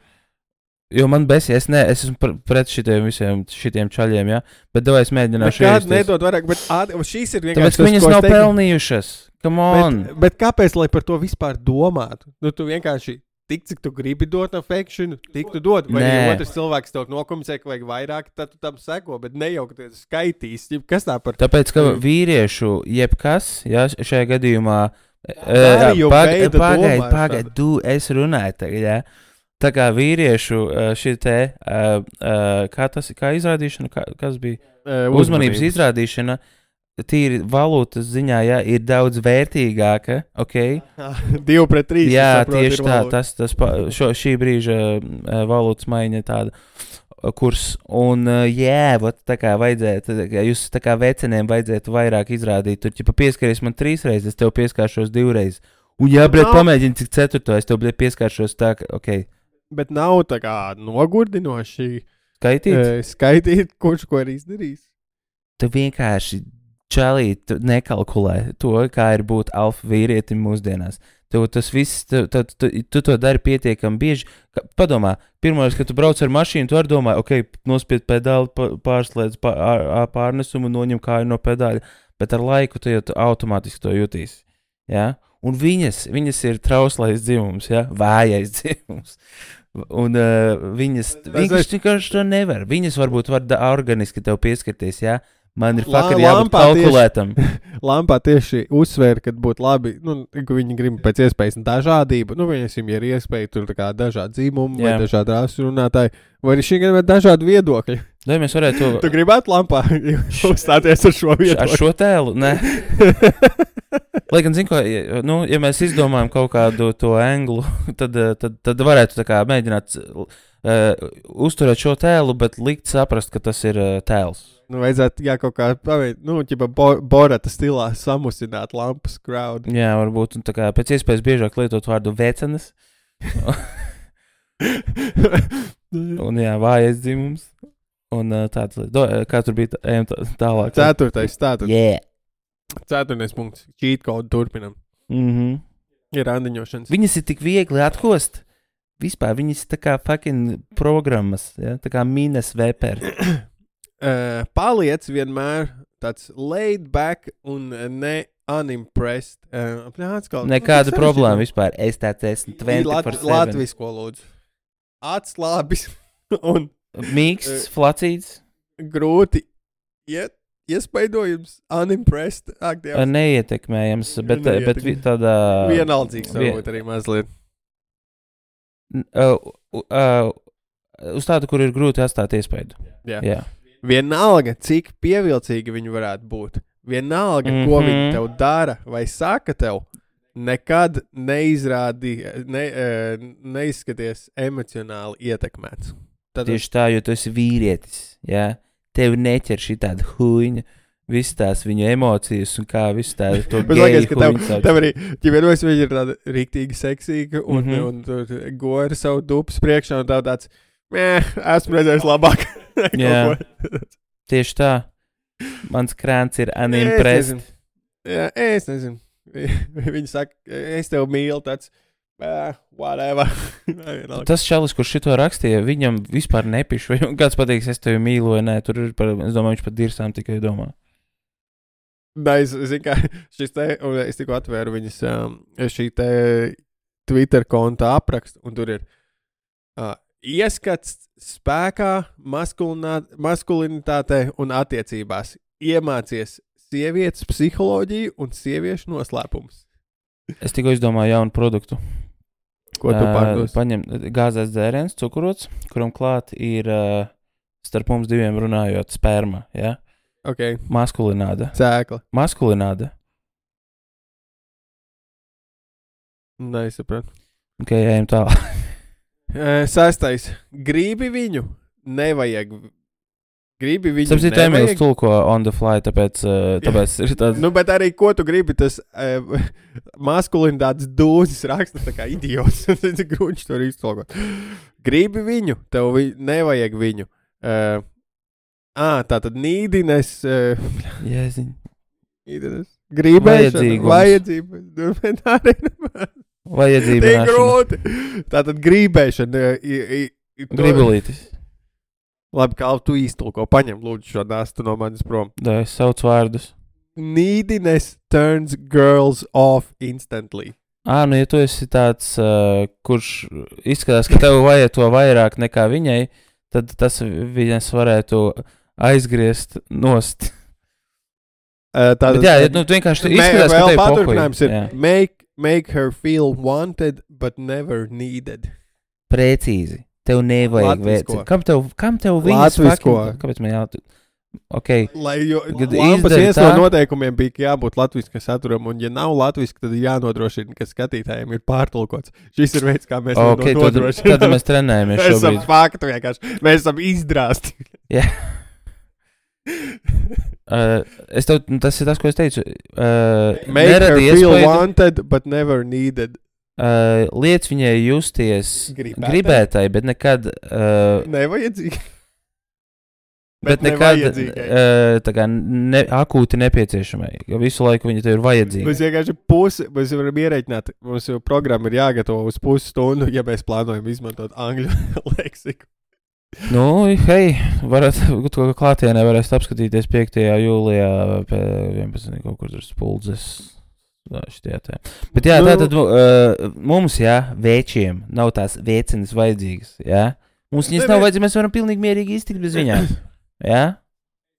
B: Jo man besi, es ne, es esmu pret šitiem visiem šitiem čaļiem, jā, bet davai es mēģināšu
A: iejusties. Nekād nedod vairāk, bet ād, šīs ir vienkārši
B: Tāpēc,
A: tas,
B: viņas
A: ko
B: nav
A: es teiktu.
B: pelnījušas, come on.
A: Bet, bet kāpēc, lai par to vispār domātu? Nu, tu vienkārši tik, cik tu gribi dot affection, tik tu dod. Vai ja otrs cilvēks tev nokomunicē, ka vajag vairāk, tad tu tam seko, bet ne jau, ka tu skaitīs. Kas tā par...
B: Tāpēc, ka vīriešu jebkas, jā, šajā gadījumā...
A: Pagaid,
B: pagaid, pagaid, tu es runāju tagad, jā. Tā kā vīriešu šī te, kā tas, kā izrādīšana, kā, kas bija?
A: Uh,
B: uzmanības izrādīšana, tīri valūtas ziņā, jā, ir daudz vērtīgāka, ok?
A: Divi pret trīs.
B: Jā,
A: saprot,
B: tieši tā, tas, tas, šo, šī brīža valūtas maiņa tāda kurs, un jā, vat, tā kā vajadzētu, tā kā jūs tā kā veceniem vajadzētu vairāk izrādīt, tur, ja pieskaries man trīs reizes, es tev pieskāršos divreiz, un jā, bret, pamēģini cik ceturto, es tev, bret, pieskāršos tā, ka, ok.
A: Bet nav tā kā nogurdinoši
B: skaitīt,
A: e, skaitīt kurš ko ir izdarījis.
B: Tu vienkārši čalīt, tu nekalkulē to, kā ir būt alfa vīrietim mūsdienās. Tev tas viss, tu, tu, tu, tu to dari pietiekami bieži. Padomā, pirmais, kad tu brauc ar mašīnu, tu arī domā, ok, nospied pedāli, pārslēdz pār, pārnesumu, noņem kāju no pedāļa, bet ar laiku tu jau automātiski to jutīsi. Ja? Un viņas, viņas ir trauslais dzimums, ja? Vājais dzimums. Un uh, viņas, vienkārši, vienkārši to nevar. Viņas varbūt var da, organiski tev pieskarties, ja? Man ir fakti jābūt kalkulētam.
A: Lampā tieši uzsvēra, ka būtu labi, nu, ka viņi grib pēc iespējas dažādību. Nu, viņasim, ja ir iespēja tur tā kā dažādi dzīmumi vai dažādi rasu runātāji, vai arī šī gan ir dažādi viedokļi.
B: Vai mēs varētu...
A: Tu gribētu Lampā uzstāties ar šo viedokli?
B: Ar šo tēlu? Nē. Lai gan, zin ko, nu, ja mēs izdomājam kaut kādu to anglu, tad, tad, tad varētu tā kā mēģināt uh, uzturēt šo tēlu, bet likt saprast, ka tas ir uh, tēls.
A: Nu, vajadzētu, jā, kaut kā paveikt, nu, ķipa bo, Borata stilā samusināt lampas crowd.
B: Jā, varbūt, un tā kā pēc iespējas biežāk lietot vārdu vecenes. Un jā, vājais dzimums. Un uh, tāds, do, kā tur bija, ejam tā, tālāk.
A: Ceturtais, tātad.
B: Yeah.
A: Ceturtais punkts. Cheat code turpinam.
B: Mhm.
A: Ir randiņošanas.
B: Viņas ir tik viegli atkost. Vispār viņas tā kā fucking programmas, ja? Tā kā mines veperi.
A: Uh, paliec vienmēr tāds laid back un ne unimpressed. Uh, atkal,
B: Nekāda
A: nu,
B: problēma vispār. Es tāds esmu
A: Lat- Latvisko lūdzu. Atslābis un
B: mīksts, flacīts.
A: grūti iet, iespaidojums, unimpressed. Ak, Dievs.
B: Neietekmējams, bet, bet vi- tādā...
A: Vienaldzīgs varbūt arī mazliet.
B: Uh, uh, uz tādu, kur ir grūti atstāt iespaidu.
A: Jā.
B: Jā.
A: Vienalga, cik pievilcīgi viņi varētu būt. Vienalga, mm-hmm. ko viņi tev dara vai saka tev, nekad neizrādi, ne, neizskaties emocionāli ietekmēts. Tad...
B: Tieši tā, jo tu esi vīrietis, jā? Tev neķer šī tāda huņa, viss tās viņu emocijas un kā viss tāda to geju huņa.
A: Tev, tev arī, ja vienos viņi ir tāda riktīgi seksīga un, mm-hmm. un, un, un gori savu dupas priekšā un tā tāds, mē, esmu redzējis labāk.
B: Jā, tieši tā. Mans krāns ir unimpressed.
A: Jā, es nezinu. Viņi saka, es tev mīlu, tāds, eh, whatever.
B: Tas čalis, kurš šito rakstīja, viņam vispār nepiš. Vai kāds pateiks, es tevi mīlu vai nē, tur ir par, es domāju, viņš pat dirsām tikai domā.
A: Nē, es zinu, kā šis te, un es tikko atvēru viņas um, šī te Twitter konta aprakstu, un tur ir uh, ieskats spēkā, maskulinitātē un attiecībās. Iemācies sievietes psiholoģiju un sieviešu noslēpumus.
B: Es tikko izdomāju jaunu produktu.
A: Ko tu pārdos?
B: Uh, paņem gāzēs dzēriens, cukurots, kuram klāt ir uh, starp mums diviem runājot sperma, ja?
A: Ok.
B: Maskulināda.
A: Cēkla.
B: Maskulināda.
A: Nē, es sapratu.
B: Ok, ejam tālāk.
A: Sestais. Gribi viņu? Nevajag. Gribi viņu?
B: Sapsīt, Emīls tulko on the fly, tāpēc, uh, tāpēc ir tāds...
A: Nu, bet arī, ko tu gribi, tas uh, maskulinitātes dūzis raksta tā kā idiots. Grūņš to arī iztulkot. Gribi viņu? Tev vi... nevajag viņu. Uh, ā, tā tad nīdines... Uh,
B: Jēziņ.
A: Nīdines. Gribēšana.
B: Vajadzīgums.
A: Vajadzība.
B: Vajadzība.
A: Tik grūti. Tātad gribēšana.
B: Gribulītis.
A: Labi, kā tu iztulko. Paņem lūdzu šo nāstu no manis prom.
B: Da, es saucu vārdus.
A: Neediness turns girls off instantly.
B: Ā, nu ja tu esi tāds, uh, kurš izskatās, ka tev vajag to vairāk nekā viņai, tad tas viņas varētu aizgriezt nost.
A: Uh, tātad,
B: Bet jā, nu tu vienkārši tu izskatās, ka tev
A: paturpinājums ir make, make her feel wanted, but never needed.
B: Precīzi. Tev nevajag
A: Latvisko.
B: Kam tev, kam tev viņas
A: Latvisko.
B: fucking... Kāpēc man jā... Ok.
A: Lai jo,
B: Kad
A: lampas
B: izdari
A: viens
B: tā-
A: no noteikumiem bija, ka jābūt latviskam saturam, un ja nav latviski, tad ir jānodrošina, ka skatītājiem ir pārtulkots. Šis ir veids, kā mēs
B: Ok,
A: to
B: tad,
A: nodrošinām.
B: tad mēs trenējamies
A: Mēs esam
B: šobrīd.
A: faktu vienkārši. Mēs esam izdrasti.
B: Jā. Uh, es tev, tas ir tas, ko es teicu. Uh,
A: Make her
B: neradi
A: feel
B: iespaidu,
A: wanted, but never needed.
B: uh, liec viņai justies
A: Gribētai.
B: gribētai, bet nekad, uh,
A: Nevajadzīgi.
B: bet
A: Bet
B: nekad
A: nevajadzīgai.
B: uh, tā kā ne, akūti nepieciešamai. Jo visu laiku viņa tev ir vajadzīga.
A: Mēs vienkārši pusi, mēs varam ierēķināt, mums jau programma ir jāgatavo uz pusi stundu, ja mēs plānojam izmantot angļu leksiku.
B: Nu, hei, varat, to klātienē varēs apskatīties piektajā jūlijā pie vienpadsmitā kaut kur tur spuldzes. Šitie tā. Bet jā,
A: Nu.
B: tātad uh, mums, jā, vēčiem nav tās vēcenes vajadzīgas, jā. Mums viņas
A: Ne,
B: nav
A: ne.
B: vajadzīgas, mēs varam pilnīgi mierīgi iztikt bez viņām, jā.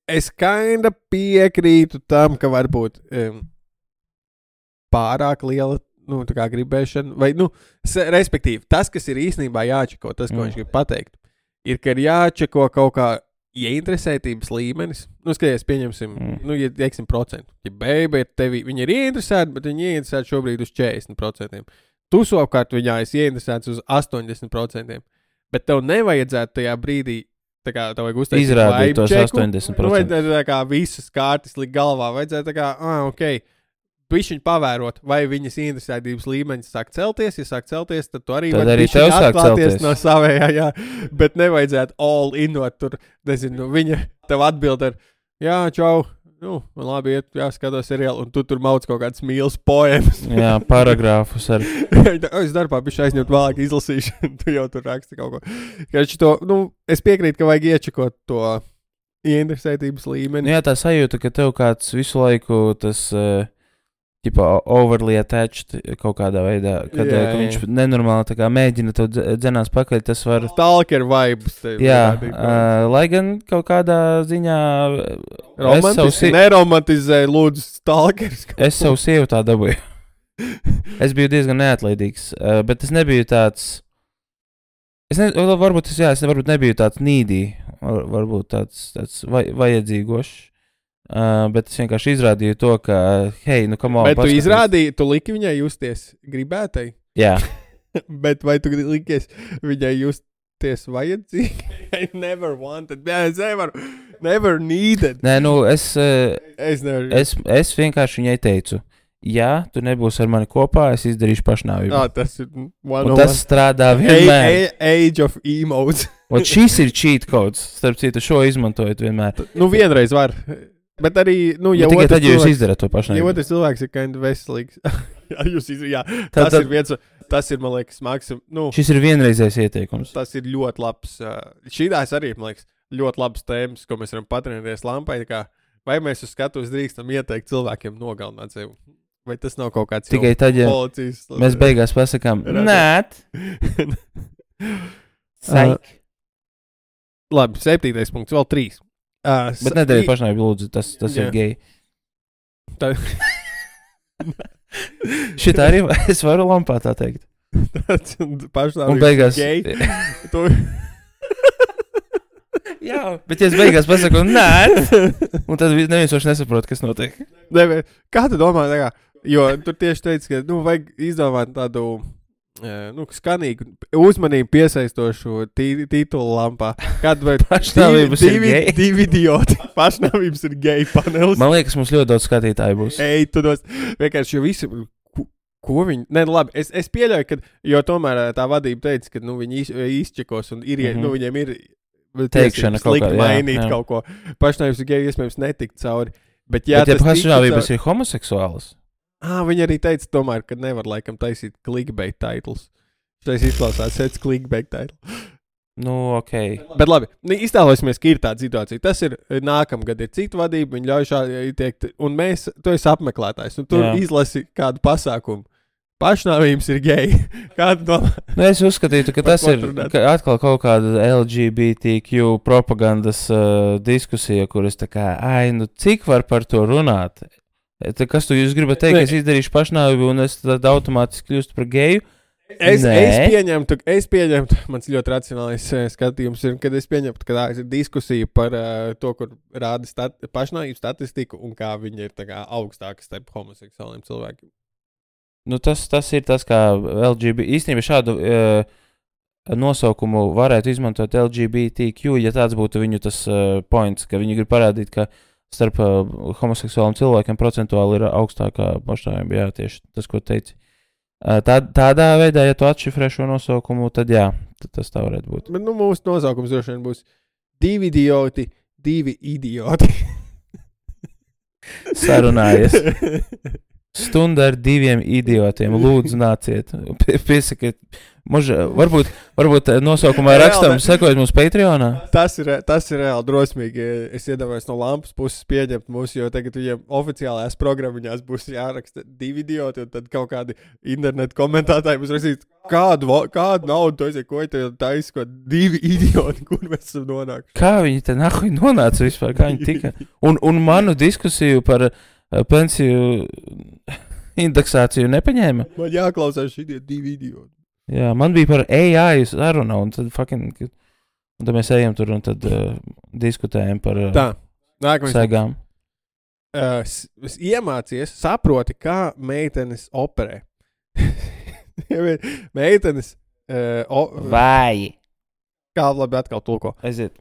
A: es kinda piekrītu tam, ka varbūt um, pārāk liela, nu, tā kā gribēšana, vai, nu, se, respektīvi, tas, kas ir īstenībā jāčeko, tas, ko mm. viņš grib pateikt, ir, ka ir jāčeko kaut kā ieinteresētības līmenis. Nu, skaties, pieņemsim, mm. nu, ja teiksim procentu. Ja beiba ir tevi, viņi ir ieinteresēti, bet viņi ieinteresēti šobrīd uz četrdesmit procentiem. Tu savukārt viņā esi ieinteresēts uz astoņdesmit procentiem. Bet tev nevajadzētu tajā brīdī, tā kā tev vajag uztaisīt
B: izrādīt tos
A: čeku,
B: astoņdesmit
A: nu,
B: procenti.
A: vajadzētu tā kā visas kārtas likt galvā. Vajadzētu tā kā, ah, ok, višķiņ pavērot, vai viņas interesētības līmeņas sāk celties. Ja sāk celties, tad tu arī
B: tad
A: vari
B: arī tev sāk celties
A: no savējā, jā. Bet nevajadzētu all inot tur, nezinu, viņa tev atbild ar, jā, čau, nu, man labi iet, jāskatos seriālu, un tu tur mauc kaut kādas mīlas poemas.
B: Jā, paragrāfus ar.
A: Es darbā bišķi aizņemt vēlāk izlasīšanu, tu jau tur raksti kaut ko. Kači to, nu, es piekrītu, ka vajag iečekot to ieinteresētības līmeni.
B: Nu, jā, tā sajūta, ka tev kāds visu laiku tas... Uh, Tipo, overly attached kaut kādā veidā, kad jā, ka viņš jā. nenormāli tā kā mēģina tev dzenās pakaļ, tas var...
A: Stalker vibes.
B: Jā, uh, lai gan kaut kādā ziņā...
A: Romantiski, neromantizēja lūdzu stalkers.
B: Es savu sievu tā dabūju. Es biju diezgan neatlaidīgs, uh, bet es nebiju tāds... Es ne, varbūt, es, jā, es varbūt nebiju tāds nīdī, var, varbūt tāds, tāds vaj, vajadzīgošs. Uh, bet es vienkārši izrādīju to, ka, hei, nu, come on,
A: bet
B: paskaties.
A: Tu izrādīji, tu liki viņai justies gribētai?
B: Jā.
A: Bet vai tu likies viņai justies vajadzīgi? I never wanted, yeah, es never, never needed.
B: Nē, nu, es, uh,
A: es, never...
B: es, es vienkārši viņai teicu, ja tu nebūsi ar mani kopā, es izdarīšu pašnāvību.
A: Ah, tas ir one
B: Un tas one. Strādā vienmēr.
A: A, a, age of emotes.
B: Un šis ir cheat codes, starp citu, šo izmantojot vienmēr.
A: Nu, vienreiz var. Bet arī, nu, ja
B: tikai
A: otrs
B: tad, ja jūs
A: cilvēks,
B: izdarat to pašnāvību.
A: Ja otrs cilvēks ir kind of veselīgs. jā, jūs izdarat, jā.
B: Tā,
A: tas
B: tad,
A: ir viens, tas ir, man liekas, maksim, nu.
B: Šis ir vienreizējs ieteikums.
A: Tas ir ļoti labs, uh, šīdās arī, man liekas, ļoti labs tēmas, ko mēs varam patrenēties lampai, kā, vai mēs uz skatuves drīkstam ieteikt cilvēkiem nogalināt sevi. Vai tas nav kaut kāds
B: tikai tad, ja
A: policijas,
B: mēs beigās pasakām, nēt. Saik.
A: Uh, labi, septītais punkts, vēl trīs. Uh,
B: Bet nedariet pašnāvību, lūdzu, tas, tas
A: jā.
B: ir geji.
A: Tā...
B: Šitā arī es varu lampā tā teikt.
A: Pašnāvību
B: un beigās...
A: geji. tu...
B: jā, bet ja es beigās pasaku, nē, un tad neviens vairs nesaprot, kas notiek.
A: Ne, kā tu domā, tā kā, jo tu tieši teici, ka, nu, vajag izdomāt tādu... Nu, skanīgu, uzmanību piesaistošu tī, titulu lampā. Kad vai
B: pašnāvības
A: divi,
B: ir geji?
A: Divi idioti. Pašnāvības ir geji panelis.
B: Man liekas, mums ļoti daudz skatītāju būs.
A: Ej, tu dos, vienkārši, jo visi, ko, ko viņi, ne, labi, es, es pieļauju, ka, jo tomēr tā vadība teica, ka, nu, viņi iz, izčekos un ir, mm -hmm. nu, viņiem ir
B: teikšana kaut kā,
A: mainīt
B: jā, jā.
A: kaut ko. Pašnāvības ir geji, iespējams, netikt cauri. Bet, jā,
B: bet ja pašnāvības ir homoseksuālas?
A: Ah, viņi arī teica, tomēr, ka nevar laikam taisīt clickbait titles. Tas izklausās pēc clickbait title.
B: Nu, ok.
A: Bet labi, iztēlosimies, ka ir tāda situācija. Tas ir nākamgad ir cita vadība, viņi ļauj šādi teikt, un mēs, tu esi apmeklētājs, un tu Jā. izlasi kādu pasākumu. Pašnāvības ir geji. Kādu domā?
B: Nu, es uzskatītu, ka tas ir ka atkal kaut kāda L G B T Q propagandas uh, diskusija, kuras tā kā, ai, nu, cik var par to runāt? Tā, kas tu jūs gribat teikt, ka es izdarīšu pašnāvību un es tad automātiski kļūstu par geju?
A: Es, es pieņemtu, es pieņemtu, mans ļoti racionālais uh, skatījums ir, kad es pieņemtu, ka tā ir diskusija par uh, to, kur rāda stat pašnāvību statistiku un kā viņi ir tā kā augstāki starp homoseksuāliem cilvēkiem.
B: Nu, tas, tas ir tas, kā L G B T, īstenībā šādu uh, nosaukumu varētu izmantot L G B T Q, ja tāds būtu viņu tas uh, points, ka viņi grib parādīt, ka starp uh, homoseksuāliem cilvēkiem procentuāli ir augstākā pašnāvība, jā, tieši tas, ko teici. Uh, tā, tādā veidā, ja tu atšifrē šo nosaukumu, tad jā, tad tas tā varētu būt.
A: Bet, nu, mūsu nosaukums droši vien būs divi idioti, divi idioti.
B: Sarunājies. Stunda ar diviem idiotiem, lūdzu nāciet. Piesakiet Muž, varbūt, varbūt nosaukumā rakstam, sekojot mums Patreonā.
A: Tas ir, tas ir reāli drosmīgi. Es iedomājos no lampas puses pieņemt mūsu, jo tagad viņiem oficiālajās programmiņās būs jāraksta divi idioti, un tad kaut kādi internetu komentētāji būs rakstīt, kādu, kādu naudu to aiziet, ko te taisa, ko divi idioti, kur mēs esam nonākuši.
B: Kā viņi te nahuj nonāca vispār, kā viņi tika? Un, un manu diskusiju par uh, pensiju indeksāciju nepaņēma.
A: Man jāklausās šitie divi idioti.
B: Jā, man bija par A I saruna, un tad fucking, un tad mēs ejam tur un tad uh, diskutējam par uh,
A: Tā, nākamais.
B: segām.
A: Uh, s- s- iemācies, saproti, kā meitenes operē. meitenes, uh, o,
B: Vai.
A: kā labi atkal tulko.
B: Aiziet.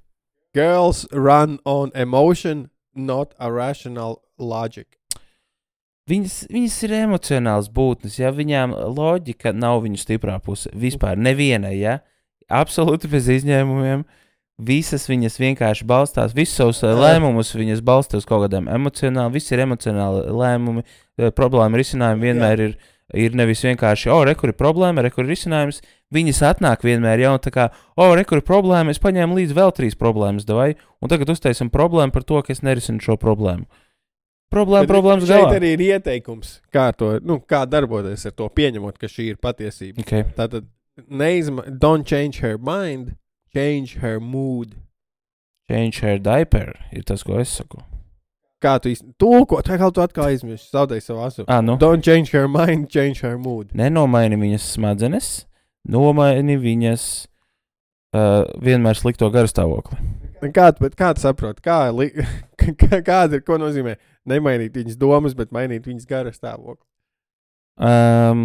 A: Girls run on emotion, not a rational logic.
B: Viņas, viņas ir emocionāls būtnes, ja viņām loģika nav viņu stiprā puse. Vispār nevienai, ja? Absolūti bez izņēmumiem. Visas viņas vienkārši balstās, visus savus uh, lēmumus viņas balstās uz kaut kādiem emocionāli, visi ir emocionāli lēmumi, uh, problēma risinājumi vienmēr ir, ir nevis vienkārši, o, re, kur ir problēma, re, kur ir risinājums, viņas atnāk vienmēr jau tā kā, o, re, kur ir problēma, es paņēmu līdz vēl trīs problēmas, davai, un tagad uztaisam problēmu par to, ka es nerisinu šo problēmu. Problēma, problēmas galā.
A: Šeit arī ir ieteikums, kā, to, nu, kā darboties ar to, pieņemot, ka šī ir patiesība.
B: Okay.
A: Tātad, neizma, don't change her mind, change her mood.
B: Change her diaper ir tas, ko es saku.
A: Kā tu īsti tulko, tā kā tu atkal aizmirsti, zaudēji savu asu.
B: Ah, nu.
A: Don't change her mind, change her mood.
B: Nenomaini viņas smadzenes, nomaini viņas uh, vienmēr slikto garastāvokli.
A: Kā tu, bet kā tu saproti, kā, li, kā, kāda ir, ko nozīmē nemainīt viņas domas, bet mainīt viņas garastāvokli?
B: Um,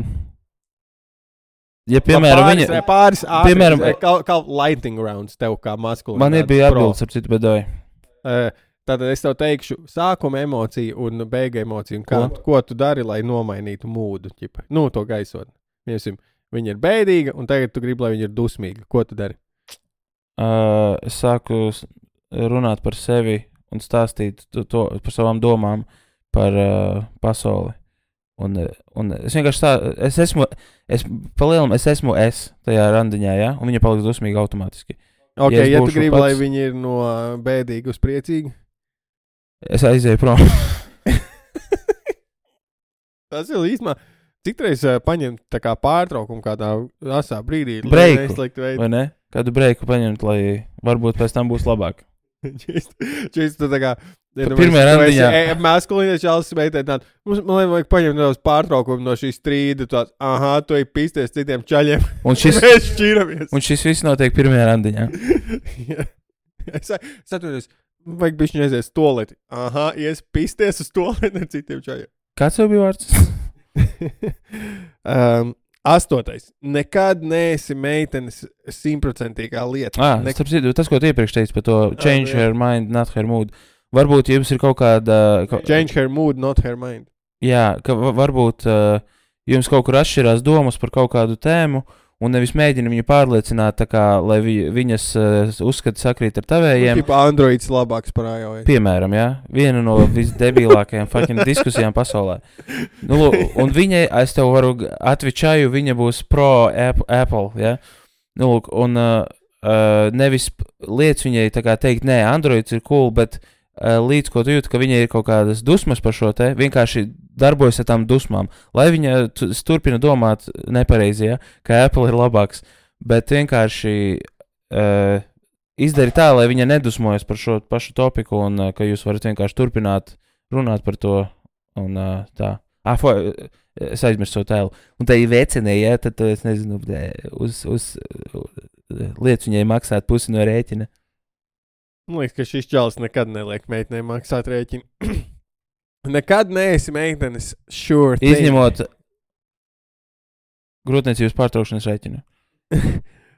B: ja, piemēram,
A: pāris,
B: viņa...
A: Pāris ātri,
B: piemēram,
A: kā, kā lightning rounds tev kā maskulīnā.
B: Man bija atbildes, ap citu bedoju.
A: Uh, Tātad es tev teikšu sākuma emociju un beiga emociju. Kā, ko? ko tu dari, lai nomainītu mūdu? Ķipa? Nu, to gaisotni. Viņa ir bēdīga, un tagad tu gribi, lai viņa ir dusmīga. Ko tu dari?
B: Uh, es sāku runāt par sevi un stāstīt to, to, par savām domām par uh, pasauli. Un, un es vienkārši tā, es esmu, es palielam, es esmu es tajā randiņā, ja? Un viņa paliks dusmīga automātiski.
A: Ok, ja, ja tu gribi,
B: pats,
A: lai viņi ir no bēdīga uz priecīgu?
B: Es aizēju prom.
A: Tas ir īstenībā. Citreiz uh, paņemt tā kā pārtraukumu kādā asā brīdī.
B: Breiku, vai ne? Kādu breiku paņemt, lai varbūt pēc tam būs labāk.
A: Čist, tu tā kā...
B: Pirmajā randiņā.
A: Maskulīnais čalis meitē tādu, mums, man vajag paņemt nedaudz pārtraukumu no šīs strīda, tāds, aha, tu ej pisties citiem čaļiem,
B: un šis,
A: mēs šķiramies.
B: Un šis viss notiek pirmajā randiņā.
A: es es atvedos, vajag bišķi aizies toleti, aha, ies pisties uz toleti ar citiem čaļiem.
B: Kāds tev bija vārds?
A: um, astotais. Nekad neesi meitenes simtprocentīgā lieta.
B: Ah,
A: ne...
B: starp citu, tas, ko tu iepriekš teici par to change ah, her mind, not her mood. Varbūt jums ir kaut kāda... Ka...
A: Change her mood, not her mind.
B: Jā, ka varbūt uh, jums kaut kur atšķirās domas par kaut kādu tēmu, un nevis mēģina viņu pārliecināt, tā kā, lai vi, viņas uh, uzskati sakrīt ar tavējiem.
A: Tipa Androids labāks par iOS.
B: Piemēram, jā, viena no visdebilākajām fucking diskusijām pasaulē. Nu, un viņai, es tev varu atvičāju, viņa būs pro Apple, jā. Nu, lūk, un uh, uh, nevis lietas viņai tā kā teikt, nē, Androids ir cool, bet līdz ko tu jūti, ka viņai ir kaut kādas dusmas par šo te, vienkārši darbojas ar tām dusmām, lai viņa turpina domāt nepareizi, ja, ka Apple ir labāks, bet vienkārši uh, izdari tā, lai viņa nedusmojas par šo pašu topiku un uh, ka jūs varat vienkārši turpināt runāt par to un uh, tā. Ah, fo, es aizmirstu savu tēlu. Un tā ir vecinē, ja, tad es nezinu, uz, uz, uz lietas viņai maksāt pusi no rēķina.
A: Man liekas, ka šis čalis nekad neliek meitenei maksāt rēķinu. Nekad neesi meitenes sure thing.
B: Izņemot grūtniecības pārtraukšanas rēķinu.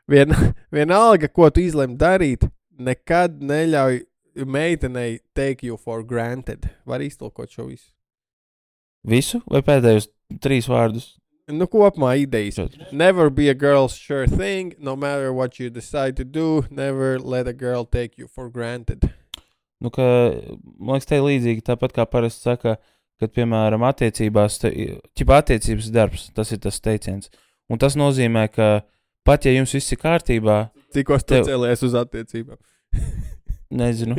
A: Vien, vienalga, ko tu izlem darīt, nekad neļauj meitenei take you for granted. Var iztulkot šo visu?
B: Visu? Vai pēdējos trīs vārdus?
A: Nu, kopumā idejas. Never be a girl's sure thing, no matter what you decide to do, never let a girl take you for granted.
B: Nu, ka, man liekas, te līdzīgi tāpat kā parasti saka, kad, piemēram, attiecībās, ķipa attiecības darbs, tas ir tas teiciens. Un tas nozīmē, ka pat ja jums viss ir kārtībā...
A: Cikos tu tev... cēlies uz attiecībām?
B: Nezinu.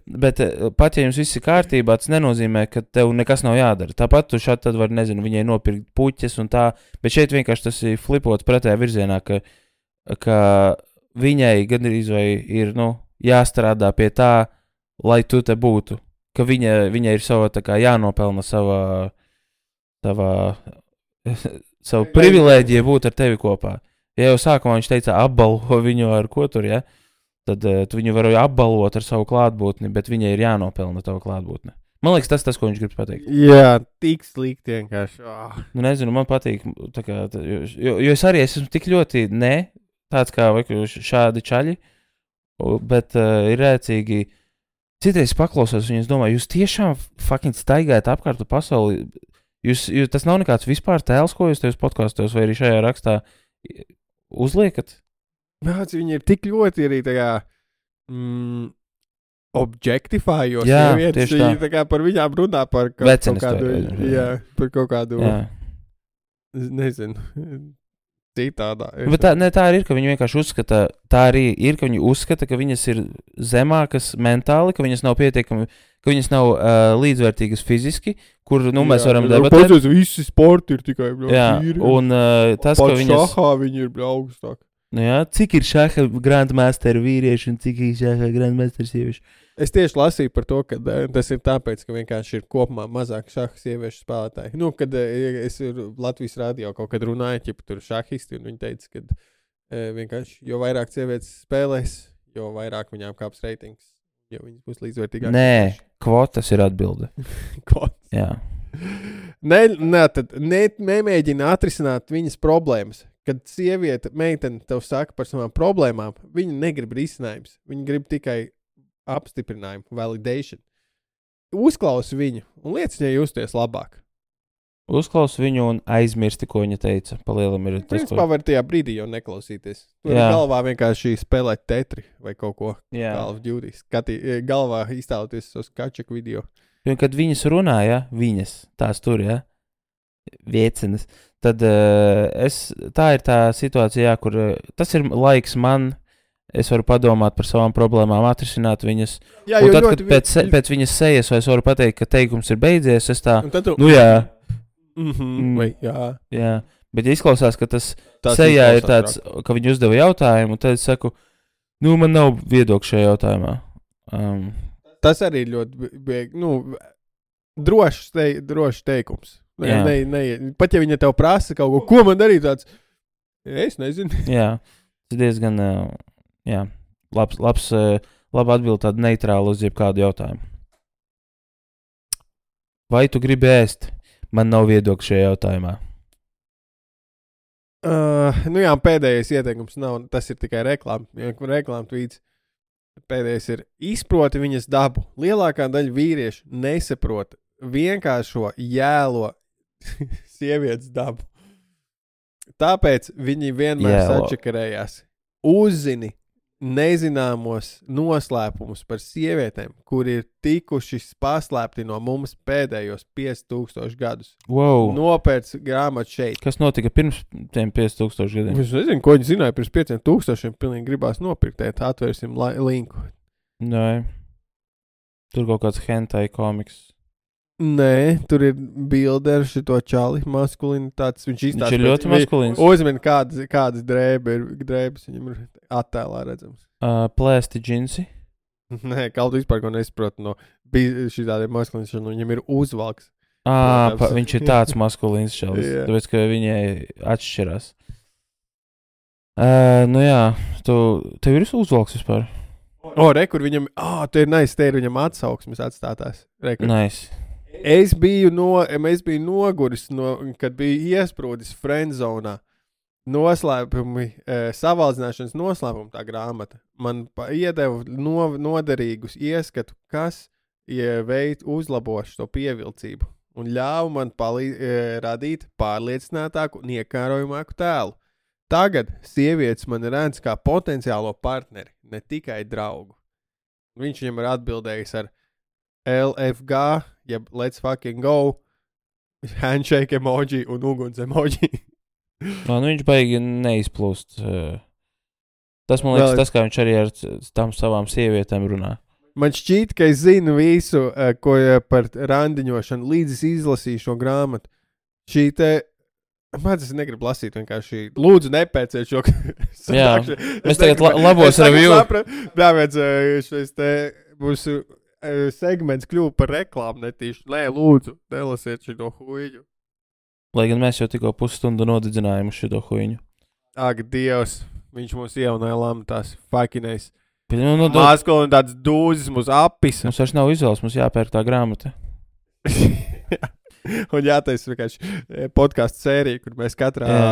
B: Bet pat ja jums viss ir kārtībā, tas nenozīmē, ka tev nekas nav jādara. Tāpat tu šādi tad var, nezinu, viņai nopirkt puķes un tā, bet šeit vienkārši tas ir flipots pretējā virzienā, ka, ka viņai gandrīz vai ir, nu, jāstrādā pie tā, lai tu te būtu. Ka viņa, viņa ir sava, tā kā jānopelna savā, savā, savu privilēģiju būt ar tevi kopā. Ja jau sākumā viņš teica apbalvo viņu ar ko tur, ja? Tad uh, tu viņu vari apbalvot ar savu klātbūtni, bet viņai ir jānopelna tavu klātbūtni. Man liekas, tas tas, ko viņš grib pateikt.
A: Jā, tik slikti vienkārši. Oh.
B: Nu, nezinu, man patīk, tā kā, tā, jo, jo es arī esmu tik ļoti ne, tāds kā vai, šādi čaļi, bet uh, ir rēcīgi. Citreiz paklausos viņus, domāju, jūs tiešām fucking staigājat apkārt pasauli. Jūs, jūs, tas nav nekāds vispār tēls, ko jūs tajos podkastos vai arī šajā rakstā uzliekat?
A: Māc, viņi ir tik ļoti arī tā kā mm, objectifājos.
B: Jā,
A: vietas,
B: tieši tā.
A: Viņi tā kā par viņām runā par kaut, kaut kādu, to, jā, par kaut kādu, jā. Nezinu, citādā.
B: Bet tā, ne, tā arī ir, ka viņi vienkārši uzskata, tā arī ir, ka viņi uzskata, ka viņas ir zemākas mentāli, ka viņas nav pietiekami, ka viņas nav uh, līdzvērtīgas fiziski, kur, nu, mēs jā, varam debatēt.
A: Pats visi sporti ir tikai, bļau,
B: jā,
A: vīri.
B: Un uh, tas,
A: Pat
B: ka viņas...
A: šahā viņi ir, bļau, augstāk.
B: Nu jā, cik ir šaha grandmasteru vīrieši un cik ir šaha grandmasteru sievieši?
A: Es tieši lasīju par to, ka uh, tas ir tāpēc, ka vienkārši ir kopumā mazāk šaha sieviešu spēlētāji. Nu, kad uh, es Latvijas radio kaut kad runāju, ja tur šahisti, un viņi teica, ka uh, vienkārši, jo vairāk sievietes spēlēs, jo vairāk viņām kāps reitings, jo viņas būs līdzvērtīgāk.
B: Nē, kvotas ir atbilde.
A: Kvotas?
B: Jā.
A: Ne, ne, tad ne, nemēģina atrisināt viņas problēmas. Kad sieviete, meitene tev saka par savām problēmām, viņa negrib risinājums. Viņa grib tikai apstiprinājumu, validation. Uzklausi viņu un liec viņai justies labāk.
B: Uzklausi viņu un aizmirsti, ko viņa teica. Palielam ir tas,
A: Principā
B: ko...
A: var tajā brīdī jau neklausīties. Tur galvā vienkārši spēlēt tetri vai kaut ko.
B: Jā.
A: Call of Duty. Skatī, galvā iztēloties uz kačaku video.
B: Un kad viņas runāja, viņas, tās tur, ja, viecenas, tad uh, es, tā ir tā situācija, kur uh, tas ir laiks man, es varu padomāt par savām problēmām, atrisināt viņas. Jā, un tad, kad pēc, vi... pēc viņas sejas es varu pateikt, ka teikums ir beidzies, es tā, tu... nu jā.
A: Mm-hmm. Mm, vai, jā.
B: Jā, bet izklausās, ka tas, tas sejā ir tāds, rāk. Ka viņi uzdeva jautājumu, un tad es saku, nu man nav viedokļa šajā jautājumā. Um,
A: Tas arī ļoti, bieg, nu, drošs, te, drošs teikums. Ne, ne, ne, pat ja viņa tev prasa kaut ko, ko man darīt tāds, es nezinu.
B: Jā, tas diezgan, jā, labs, labs, laba atbild tādu neitrālu uz jebkādu jautājumu. Vai tu gribi ēst? Man nav viedokļa šajā jautājumā.
A: Uh, nu jā, pēdējais ieteikums nav, tas ir tikai reklāma, reklāma tvīts. Pēdējais ir izproti viņas dabu. Lielākā daļa vīriešu nesaprot vienkāršo jēlo sievietes dabu. Tāpēc viņi vienmēr jēlo. Sačakarējās. Uzzini nezināmos noslēpumus par sievietēm, kuri ir tikuši paslēpti no mums pēdējos pieci tūkstoši gadus.
B: Wow.
A: Nopērc grāmatu šeit.
B: Kas notika pirms tiem pieci tūkstoši gadiem?
A: Es nezinu, ko viņi zināja pirms pieciem tūkstošiem. Pilnīgi gribās nopirktēt. Atvērsim la- linku.
B: Nē. Tur kaut kāds hentai komiks.
A: Nē, tur ir bilde ar šito čali maskulinitātes. Viņš izstāsta.
B: Viņš ir ļoti maskulins.
A: Uzmini, kādas, kādas drēbe ir, drēbes viņam ir attēlā redzams.
B: Uh, plēsti džinsi?
A: Nē, kaut vispār ko nesaprotu no šitādiem maskulins, un viņam ir uzvalks.
B: Ā, pa, viņš ir tāds maskulins šalis, yeah. Tāpēc, ka viņai atšķirās. Uh, nu jā, tu, tev ir uzvalks vispār?
A: O, re, kur viņam, ā, te ir nice, te ir viņam atsauksmes atstātās. Re, kur...
B: Nice.
A: Es biju, no, es biju noguris, no, kad biju iesprūdis friendzonā. Noslēpumi, e, savaldzināšanas noslēpumi tā grāmata. Man iedeva no, noderīgus ieskatu, kas ja, veid uzlabošu to pievilcību un ļāva man palī, e, radīt pārliecinātāku un iekārojamāku tēlu. Tagad sievietes man redz kā potenciālo partneri, ne tikai draugu. Viņš viņam ir atbildējis ar L F G, jeb let's fucking go, handshake emoji un uguns emoji.
B: No, nu, viņš baigi neizplūst. Tas, man liekas,
A: Vēl...
B: tas, kā viņš arī ar tam savām sievietēm runā.
A: Man šķiet, ka es zinu visu, ko par randiņošanu, līdz es izlasīju šo grāmatu. Šī te, man tas negribu lasīt vienkārši, lūdzu nepēciet šo.
B: Jā, mēs tagad la labos review.
A: Dāvēdz, šis te mūsu segments kļuva par reklāmu netīšu. Nē, lūdzu, nelasiet šito huiņu.
B: Lai gan mēs jau tikko pusstundu nodedzinājām uz šito huiņu.
A: Ak, Dievs, viņš mums ieunāja lamatās, fakinais.
B: Nu, nu,
A: Māskoli un tāds dūzis mūs apisa.
B: Mums vairs nav izvēles, mums jāpērk tā grāmata.
A: Un jātais vienkārši podcastu sērija, kur mēs katrā Jā.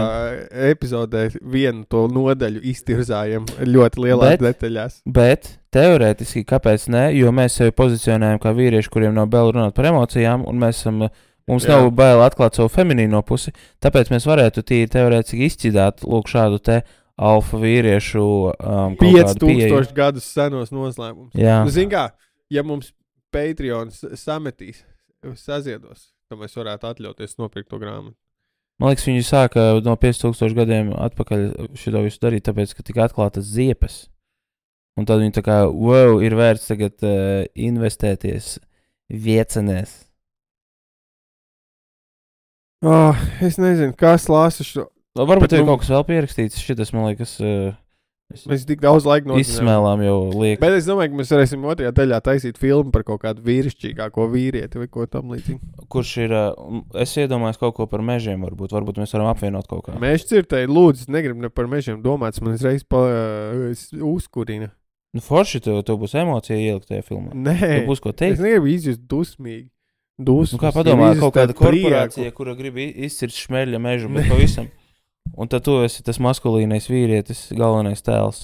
A: epizodē vienu to nodaļu iztirzājam ļoti lielās bet, detaļās.
B: Bet, teorētiski, kāpēc ne? Jo mēs sevi pozicionējam kā vīrieši, kuriem nav bail runāt par emocijām, un mēs esam, mums Jā. nav bail atklāt savu feminīno pusi, tāpēc mēs varētu tīri teorētiski izšķidāt lūk šādu te alfa vīriešu um,
A: pieci tūkstoši gadus senos noslēmums.
B: Jā.
A: Nu, zin kā, ja mums Patreons sametīs, saziedos, tad mēs varētu atļauties nopirkt to grāmatu.
B: Man liekas, viņi sāka no pieci tūkstoši gadiem atpakaļ šito visu darīt, tāpēc, ka tika atklātas ziepes. Un tad viņi tā kā, wow, ir vērts tagad uh, investēties viecenēs.
A: Oh, es nezinu, kas lasa šo...
B: Varbūt ir kaut kas vēl pierakstīts, šitas, man liekas, uh,
A: mēs tik daudz laika nozinām.
B: Izsmēlām jau liek.
A: Bet es domāju, ka mēs varēsim otrajā daļā taisīt filmu par kaut kādu vīrišķīgāko vīrieti vai ko tam līdzīgi.
B: Kurš ir, uh, es iedomājos kaut ko par mežiem varbūt, varbūt mēs varam apvienot kaut kā.
A: Mežu cirtēji, lūdzu, negribu ne par mežiem domāt, man uzreiz pa, uh, uzkurina.
B: Nu forši, tev, tev būs emocija ielikt tajā filmā.
A: Nē,
B: tev būs ko teikt.
A: Es negribu izjust dusmīgi. Dusmas.
B: Nu kā padomā, kaut kāda korporācija, prieku. Kura grib izcirt šmeļa mežu, bet pavisam. Un tad tu esi tas maskulīnais vīrietis, galvenais tēls,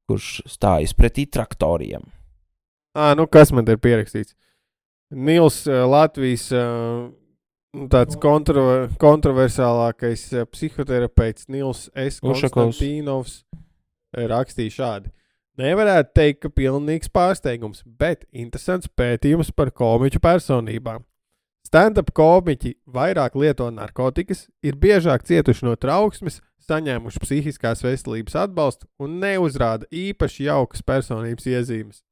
B: kurš stājas pretī traktoriem.
A: Ā, nu kas man te ir pierakstīts? Nils uh, Latvijas uh, tāds kontro, kontroversālākais uh, psihoterapeits Nils S. Konstantīnovs rakstīja šādi. Nevarētu teikt, ka pilnīgs pārsteigums, bet interesants pētījums par komiķu personībām. Stand-up komiķi vairāk lieto narkotikas, ir biežāk cietuši no trauksmes, saņēmuši psihiskās veselības atbalstu un neuzrāda īpaši jaukas personības iezīmes.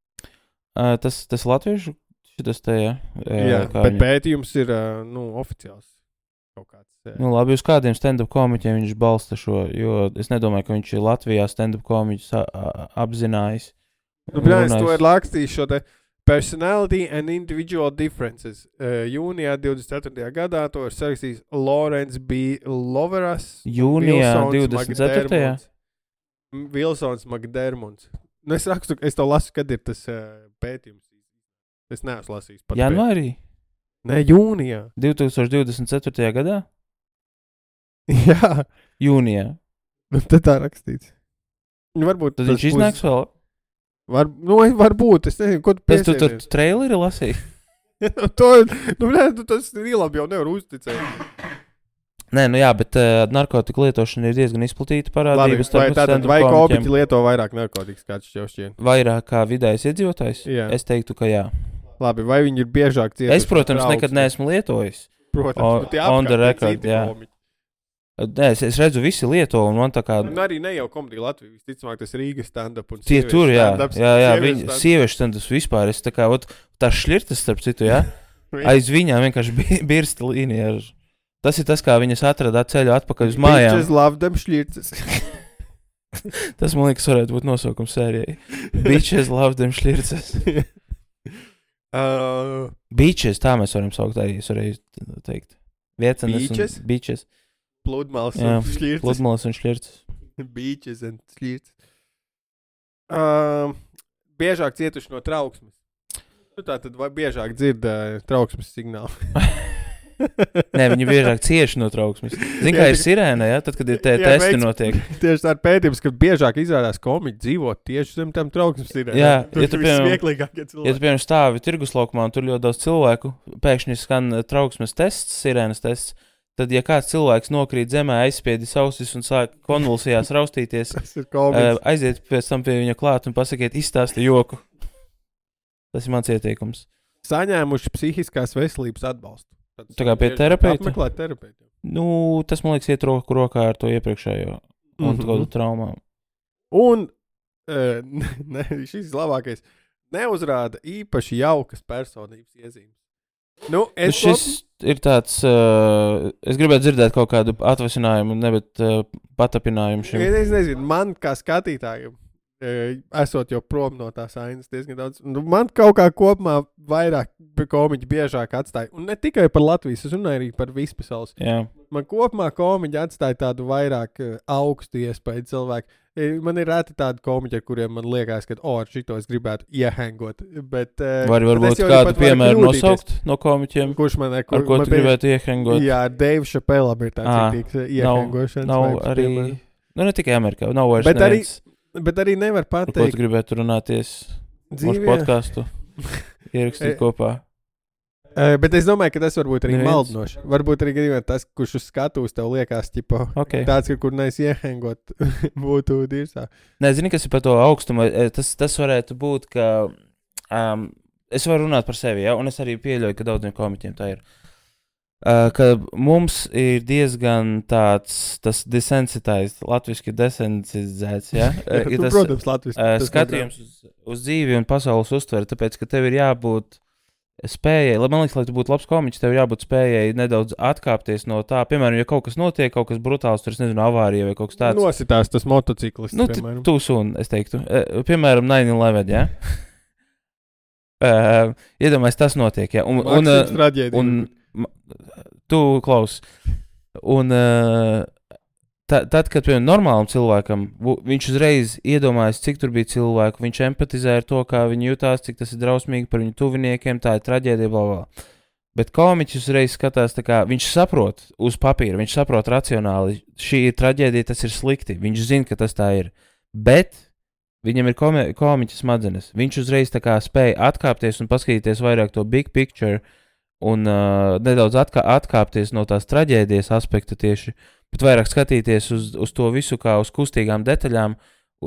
B: Uh, tas, tas latviešu šitas te, jā?
A: Jā, bet viņa... pētījums ir, uh, nu, oficiāls kaut kāds. Jā.
B: Nu, labi, uz kādiem stand-up komiķiem viņš balsta šo, jo es nedomāju, ka viņš ir Latvijā stand-up komiķus apzinājis.
A: Nu, brāļs, to ir rakstījis šo te Personality and Individual Differences. Uh, jūnijā divdesmit ceturtajā gadā to ir sarakstījis Lawrence B. Loveras.
B: Jūnijā divdesmit ceturtajā
A: Vilsons McDermonds. Nu, es rakstu, es to lasu, kad ir tas uh, pētījums. Es neesmu lasījis.
B: Janvārī?
A: Nē, jūnijā.
B: divtūkstoš divdesmit ceturtajā gadā?
A: Jā.
B: Jūnijā.
A: Nu, tad tā rakstīts. Varbūt
B: tad viņš iznāks vēl?
A: Var, nu, varbūt, es nezinu, ko tu
B: piesēties. Es tu, tu traileri lasīju.
A: to, nu, ne, tu tas īlabi jau nevar uzticēt.
B: Nē, nu jā, bet uh, narkotika lietošana ir diezgan izplatīta parādība.
A: Labi, vai tātad, vai komiķi lieto vairāk narkotikas, kāds šķiet šķiet?
B: Vairāk kā vidējais iedzīvotājs? Jā. Es teiktu, ka jā.
A: Labi, vai viņi ir biežāk cietuši?
B: Es, protams, nekad neesmu lietojis.
A: Protams,
B: o, on the record, jā. Komiķi. Nē, es, es redzu, visi lieto, un man tā kā...
A: Un arī ne jau komedija Latvija, visticamāk, tas Rīgas stand-up un
B: tie tur, jā,
A: stand-ups.
B: Jā, jā, viņi, sieviešu stand-ups vispār, es tā kā, ot, tā šļirtas, starp citu, jā, aiz viņām vienkārši birsta līnija. Ar... Tas ir tas, kā viņas atradā ceļu atpakaļ uz mājām.
A: Bitches love them šļirtas.
B: Tas, man liekas, varētu būt nosaukums sērijai. Bitches love them šļirtas.
A: uh...
B: Bitches, tā mēs varam saukt arī, es varēju teikt. Viecenes un bitches.
A: Pludmales un šļirtas.
B: Pludmales un šļirtas.
A: Beaches un šļirtas. Uh, biežāk cietuši no trauksmes. Nu tā tad vai biežāk dzird uh, trauksmes signālu?
B: Nē, viņi biežāk cieši no trauksmes. Zin, kā ir sirēna, ja? Tad, kad ir te jā, testi veids, notiek.
A: Tieši tā ir pētījums, ka biežāk izrādās komiķi dzīvot tieši zem tam trauksmes sirēna.
B: Jā,
A: tur
B: ja tu, piemēram,
A: ja tu,
B: piemēram, stāvi tirguslaukumā un tur ļoti daudz cilvēku, pēkšņi skan trauksmes tests, sirēnas tests, tad, ja kāds cilvēks nokrīt zemē, aizspiedis ausis un sāk konvulsijās raustīties, uh, aiziet pēc tam pie viņa klāt un pasakiet, izstāsti joku. Tas ir mans ieteikums.
A: Saņēmuši psihiskās veselības atbalstu.
B: Tā kā pie terapeita?
A: Apmeklēt terapeitu.
B: Nu, tas, man liekas, iet roku rokā ar to iepriekšējo un mm-hmm. kādu traumām.
A: Un uh, ne, šis labākais neuzrāda īpaši jaukas personības iezīmes. Nu, es
B: šis kop... ir tāds, uh, es gribētu dzirdēt kaut kādu atvasinājumu, nevis uh, patapinājumu šim.
A: Es, es nezinu, man kā skatītājiem, esot jau prom no tās ainas diezgan daudz, nu, man kaut kā kopumā vairāk komiķi biežāk atstāja, un ne tikai par Latvijas, es runāju arī par vispasaules.
B: Jā.
A: Man kopumā komiķi atstāja tādu vairāk uh, augstu iespēju cilvēku. Man ir reti tādi komiķi, ar kuriem man liekas, ka, o, ar šito es gribētu iehangot. Bet, uh,
B: Var, varbūt kādu piemēru nosaukt no komiķiem,
A: kurš man, kur,
B: ar ko
A: man
B: tu gribētu iehangot?
A: Jā, Dave Chappellam ir tāds
B: ah,
A: citīgs iehangošanas.
B: Nav, nav arī, piemēram. Nu ne tikai Amerikā, nav vairs
A: bet
B: neviens.
A: Arī, bet arī nevar pateikt.
B: Ar ko tu gribētu runāties mūsu podcastu ierakstīt kopā?
A: Uh, bet es domāju, ka tas varbūt arī Neviens. maldinoši. Varbūt arī gadījumā tas, kurš uz skatuves tev liekas, ķipa,
B: okay.
A: tāds, ka kur nees iehangot, būtu dirsā.
B: Nē, zini, kas ir par to augstumu. Tas, tas varētu būt, ka um, es varu runāt par sevi, ja? Un es arī pieļauju, ka daudziem komiķiem tā ir. Uh, ka mums ir diezgan tāds, tas desensitized, latviski desensitizēts, ja?
A: ir tas, protams, latviski.
B: Uh, skatījums uz, uz dzīvi un pasaules uztveri, tāpēc, ka tev ir jābūt spējai, man liekas, lai tu būtu labs komiķis, tev jābūt spējai nedaudz atkāpties no tā. Piemēram, ja kaut kas notiek, kaut kas brutāls, tur es nezinu, avārija vai kaut kas tāds.
A: Nositās tas motociklis.
B: Nu,
A: piemēram.
B: Tu sun, es teiktu. Uh, piemēram, nine eleven, ja? uh, iedomājies, tas notiek, ja? Un, un, uh, un tu klaus. Un uh, ta, tad, kad, piemēram, normālam cilvēkam, viņš uzreiz iedomājas, cik tur bija cilvēku, viņš empatizē ar to, kā viņi jutās, cik tas ir drausmīgi par viņu tuviniekiem, tā ir traģēdija, bla, bla. Bet komiķis uzreiz skatās, tā kā viņš saprot uz papīra, viņš saprot racionāli, šī ir traģēdija, tas ir slikti, viņš zina, ka tas tā ir. Bet viņam ir komi komiķa smadzenes, viņš uzreiz tā kā spēja atkāpties un paskatīties vairāk to big picture un uh, nedaudz atkā atkāpties no tās traģēdijas aspekta tieši, bet vairāk skatīties uz, uz to visu kā uz kustīgām detaļām,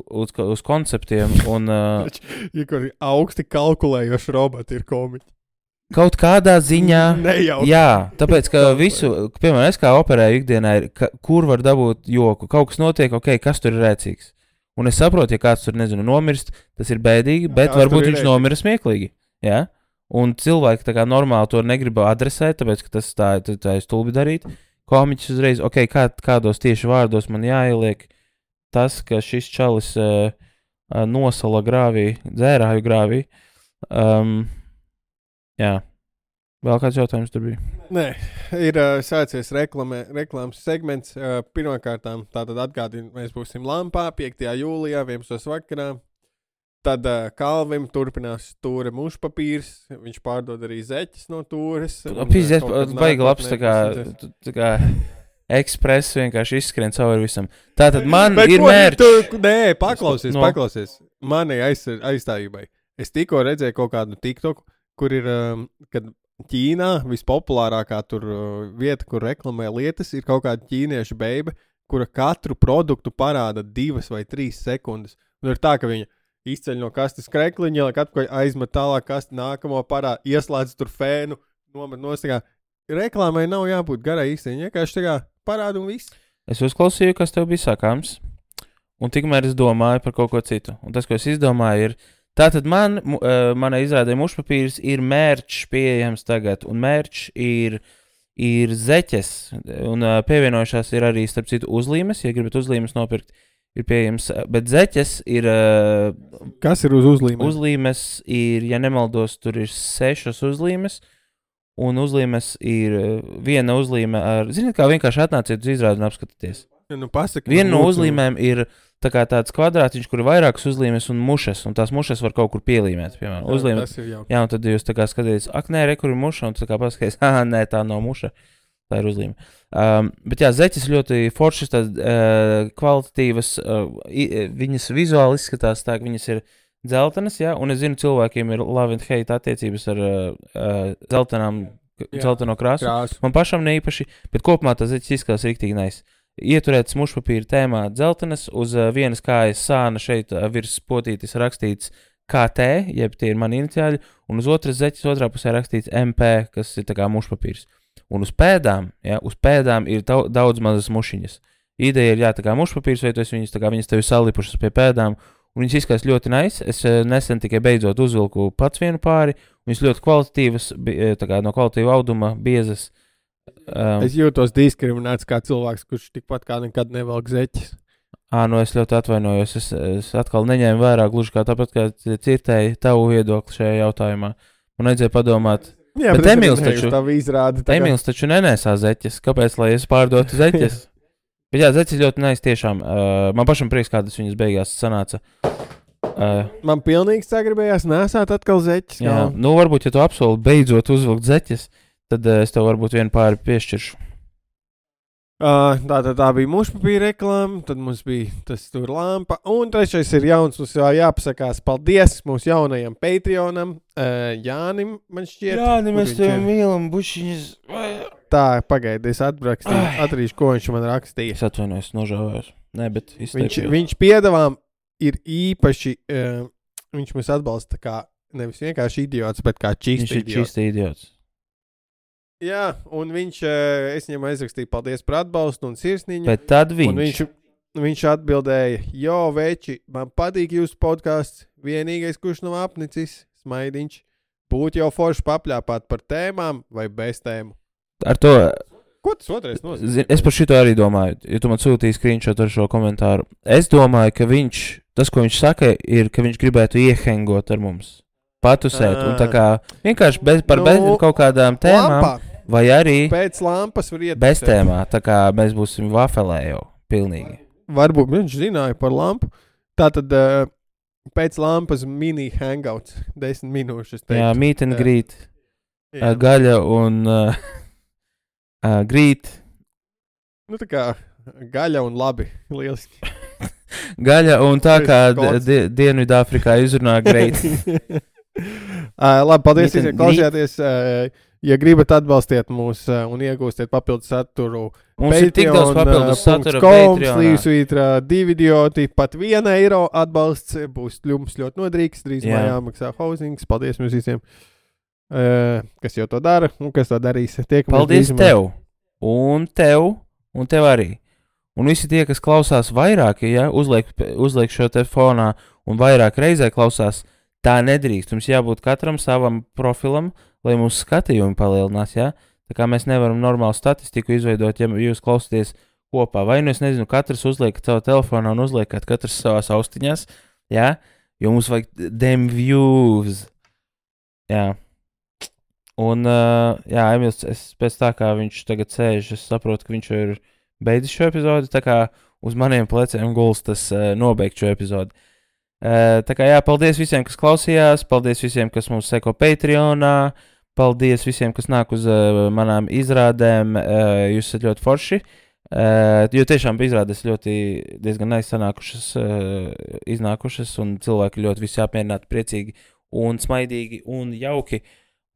B: uz, uz konceptiem un... Uh,
A: ja kur augsti kalkulējoši roboti ir komiķi.
B: Kaut kādā ziņā...
A: Nejauši.
B: Jā, tāpēc, ka visu, piemēram, es kā operēju ikdienā, ir, ka, kur var dabūt joku. Kaut kas notiek, ok, kas tur ir rēcīgs. Un es saprotu, ja kāds tur, nezinu, nomirst, tas ir bēdīgi, bet jā, varbūt viņš nomira smieklīgi. Jā? Un cilvēki tā kā normāli to negrib adresēt, tāpēc, ka tas tā, tā, tā ir stulbi darīt. Komiķis uzreiz, ok, kā, kādos tieši vārdos man jāieliek tas, ka šis čalis uh, uh, nosala grāvī, dzērāju grāvī. Um, jā. Vēl kāds jautājums tur bija?
A: Nē, ir uh, sācies reklamē, reklāmas segments. Uh, pirmkārtām, tātad atgādinu, mēs būsim Lampā piektajā jūlijā, vienpadsmitos vakarā. Tad uh, Kalvim turpinās Tūra mušpapīrs, viņš pārdod arī zeķes no Tūres.
B: Pīzies, baigi labs, tā kā, tā kā ekspress vienkārši izskrien cauri visam. Tātad man Bet, ir ko, mērķis.
A: Tu, nē, paklausies, no. paklausies. Mani aiz, aizstājībai. Es tikko redzēju kaut kādu TikToku, kur ir, um, kad Ķīnā vispopulārākā tur uh, vieta, kur reklamē lietas, ir kaut kāda ķīniešu beiba, kura katru produktu parāda divas vai trīs sekundes. Un ir tā, ka viņa izceļ no kastes krekliņa, lai katru aizmet tālāk kasti, nākamo parā, ieslēdz tur fēnu, nomet nostākā. Reklāmai nav jābūt garai īstenībā, vienkārši tā kā parāda un viss.
B: Es uzklausīju, kas tev bija sakāms, un tikmēr es domāju par kaut ko citu. Un tas, ko es izdomāju, ir, tātad man, uh, manai izrādē mušpapīrs ir mērķis pieejams tagad, un mērķis ir, ir zeķes, un uh, pievienojušās ir arī, starp citu, uzlīmes, ja gribat uzlīmes nopirkt. Ir pieejams, bet zeķes ir... Uh,
A: Kas ir uz uzlīmes?
B: Uzlīmes ir, ja nemaldos, tur ir sešas uzlīmes, un uzlīmes ir viena uzlīme ar... Ziniet, kā vienkārši atnāciet uz izrādi un apskatīties.
A: Ja, nu pasaka,
B: viena no uzlīmēm ir tā kā tāds kvadrātiņš, kur ir vairākas uzlīmes un mušas, un tās mušas var kaut kur pielīmēt, piemēram.
A: Jā,
B: uzlīme,
A: tas ir jau.
B: Jā, un tad jūs tā kā skatīties, ak, nē, re, kur ir muša, un tā kā paskaties, ah, nē, tā nav muša. Tā ir uzlīme. Um, bet jā, zeķes ļoti foršas, tādas uh, kvalitatīvas, uh, i, viņas vizuāli izskatās tā, ka viņas ir dzeltenas, jā, un es zinu, cilvēkiem ir love and hate attiecības ar uh, uh, dzeltenām, dzelteno krāsu.
A: krāsu.
B: Man pašam neīpaši, bet kopumā tā zeķes izskatās riktīgi nice. Ieturēts mušpapīra tēmā dzeltenas, uz uh, vienas kājas sāna šeit uh, virs potītis rakstīts K T, jeb tie ir mani iniciāļi, un uz otras zeķes otrā pusē rakstīts M P, kas ir tā kā mušpapīrs. Un uz pēdām, ja, uz pēdām ir tau, daudz mazas mušiņas. Ideja ir, jā, tā kā mušpapīrs, vai tu esi viņas, tā kā viņas tevi salipušas pie pēdām, un viņas izskatās ļoti nice. Es nesen tikai beidzot uzvilku pats vienu pāri, viņas ļoti kvalitatīvas, tā kā no kvalitīva auduma, biezas. Um,
A: es jūtos diskriminēts kā cilvēks, kurš tikpat kā nekad nevelk zeķis.
B: Ā, nu es ļoti atvainojos, es, es atkal neņēmu vērā, gluži kā tāpat, kā cirtēju tavu viedokli šajā jautājumā. Man vajadzēja padomāt.
A: Jā,
B: bet
A: bet
B: Emīls taču,
A: izrāda,
B: Emīls taču nenesā zeķes. Kāpēc, lai es pārdotu zeķes? Bet jā, zeķes ļoti nice tiešām. Uh, man pašam prieks, kādas viņas beigās sanāca. Uh,
A: man pilnīgi sagribējās nesāt atkal zeķes.
B: Jā, nu varbūt, ja tu apsoli beidzot uzvilkt zeķes, tad uh, es tev varbūt vienu pāri piešķiršu.
A: Uh, tā, tā, tā bija mušpapīra reklāma, tad mums bija tas tur lampa, un trešais ir jauns, mums jau jāpasakās paldies mūsu jaunajam Patreonam, uh, Jānim, man šķiet.
B: Jāni, mēs tev mīlam, bušiņas.
A: Tā, pagaidi, es atbrakstīju, atrīšu, ko viņš man rakstīja.
B: Es atvainojos, nožēlējos. Nē, bet
A: viņš, viņš piedāvām ir īpaši, uh, viņš mums atbalsta kā nevis vienkārši idiots, bet kā čīsti idiots.
B: Viņš ir čīsti idiots.
A: Jā, un viņš, es viņam aizrakstīju paldies par atbalstu un sirsniņu.
B: Bet tad viņš.
A: Un viņš, viņš atbildēja, jo, veči, man patīk jūsu podcasts, vienīgais, kurš nav apnicis, smaidiņš, būtu jau forši papļāpāt par tēmām vai bez tēmu.
B: Ar to.
A: Ko tas otrais nozīmē?
B: Es par šito arī domāju, ja tu man sūtīji screenshot ar šo komentāru. Es domāju, ka viņš, tas, ko viņš saka, ir, ka viņš gribētu iehengot ar mums. Patusēt, un tā kā vienkārši bez, par nu, bez kaut kādām tēmām. Lampā. Vai arī
A: pēc lampas var iet
B: bez tēmā, tā kā mēs būsim vafelē jau pilnīgi.
A: Varbūt viņš zināja par lampu. Tātad uh, pēc lampas mini hangouts, desmit minūšas. Teikt.
B: Jā, meet and greet, uh, gaļa un uh, uh, greet.
A: Nu tā kā gaļa un labi, lieliski.
B: Gaļa un tā kā di Dienvidāfrikā izrunā great.
A: uh, labi, paldies, ja klausījāties. Uh, Ja gribat atbalstiet mūs uh, un iegūstiet papildus saturu,
B: mums Patreon, ir tik daudz papildus satura
A: Patreonā. Divi idioti, pat viena eiro atbalsts būs jums ļoti nodrīgs. Drīzumā jāmaksā housings. Paldies jums visiem, uh, kas jau to dara un kas to darīs. Tiekamies
B: paldies
A: drīzumā.
B: Tev un tev un tev arī. Un visi tie, kas klausās vairāk, ja uzliek, uzliek šo te fonā un vairāk reizē klausās, tā nedrīkst. Mums jābūt katram savam profilam, lai mūsu skatījumi palielinās, ja? Tā kā mēs nevaram normālu statistiku izveidot, ja jūs klausāties kopā. Vai nu es nezinu, katrs uzliekat savu telefonā un uzliekat katrs savās austiņās, ja? Jo mums vajag dem views. Jā. Un, uh, jā, Emils, es pēc tā kā viņš tagad sēž, es saprotu, ka viņš jau ir beidzis šo epizodi, tā kā uz maniem pleciem guls tas uh, nobeigt šo epizodi. Uh, tā kā jā, paldies visiem, kas klausījās, paldies visiem, kas mums seko Patreonā, paldies visiem, kas nāk uz uh, manām izrādēm, uh, jūs esat ļoti forši, uh, jo tiešām izrādes ļoti diezgan neizsanākušas, uh, iznākušas, un cilvēki ļoti visi apmierināti, priecīgi un smaidīgi un jauki,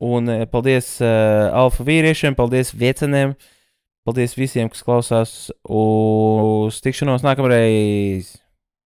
B: un uh, paldies uh, alfa vīriešiem, paldies vieceniem, paldies visiem, kas klausās, uz tikšanos nākamreiz!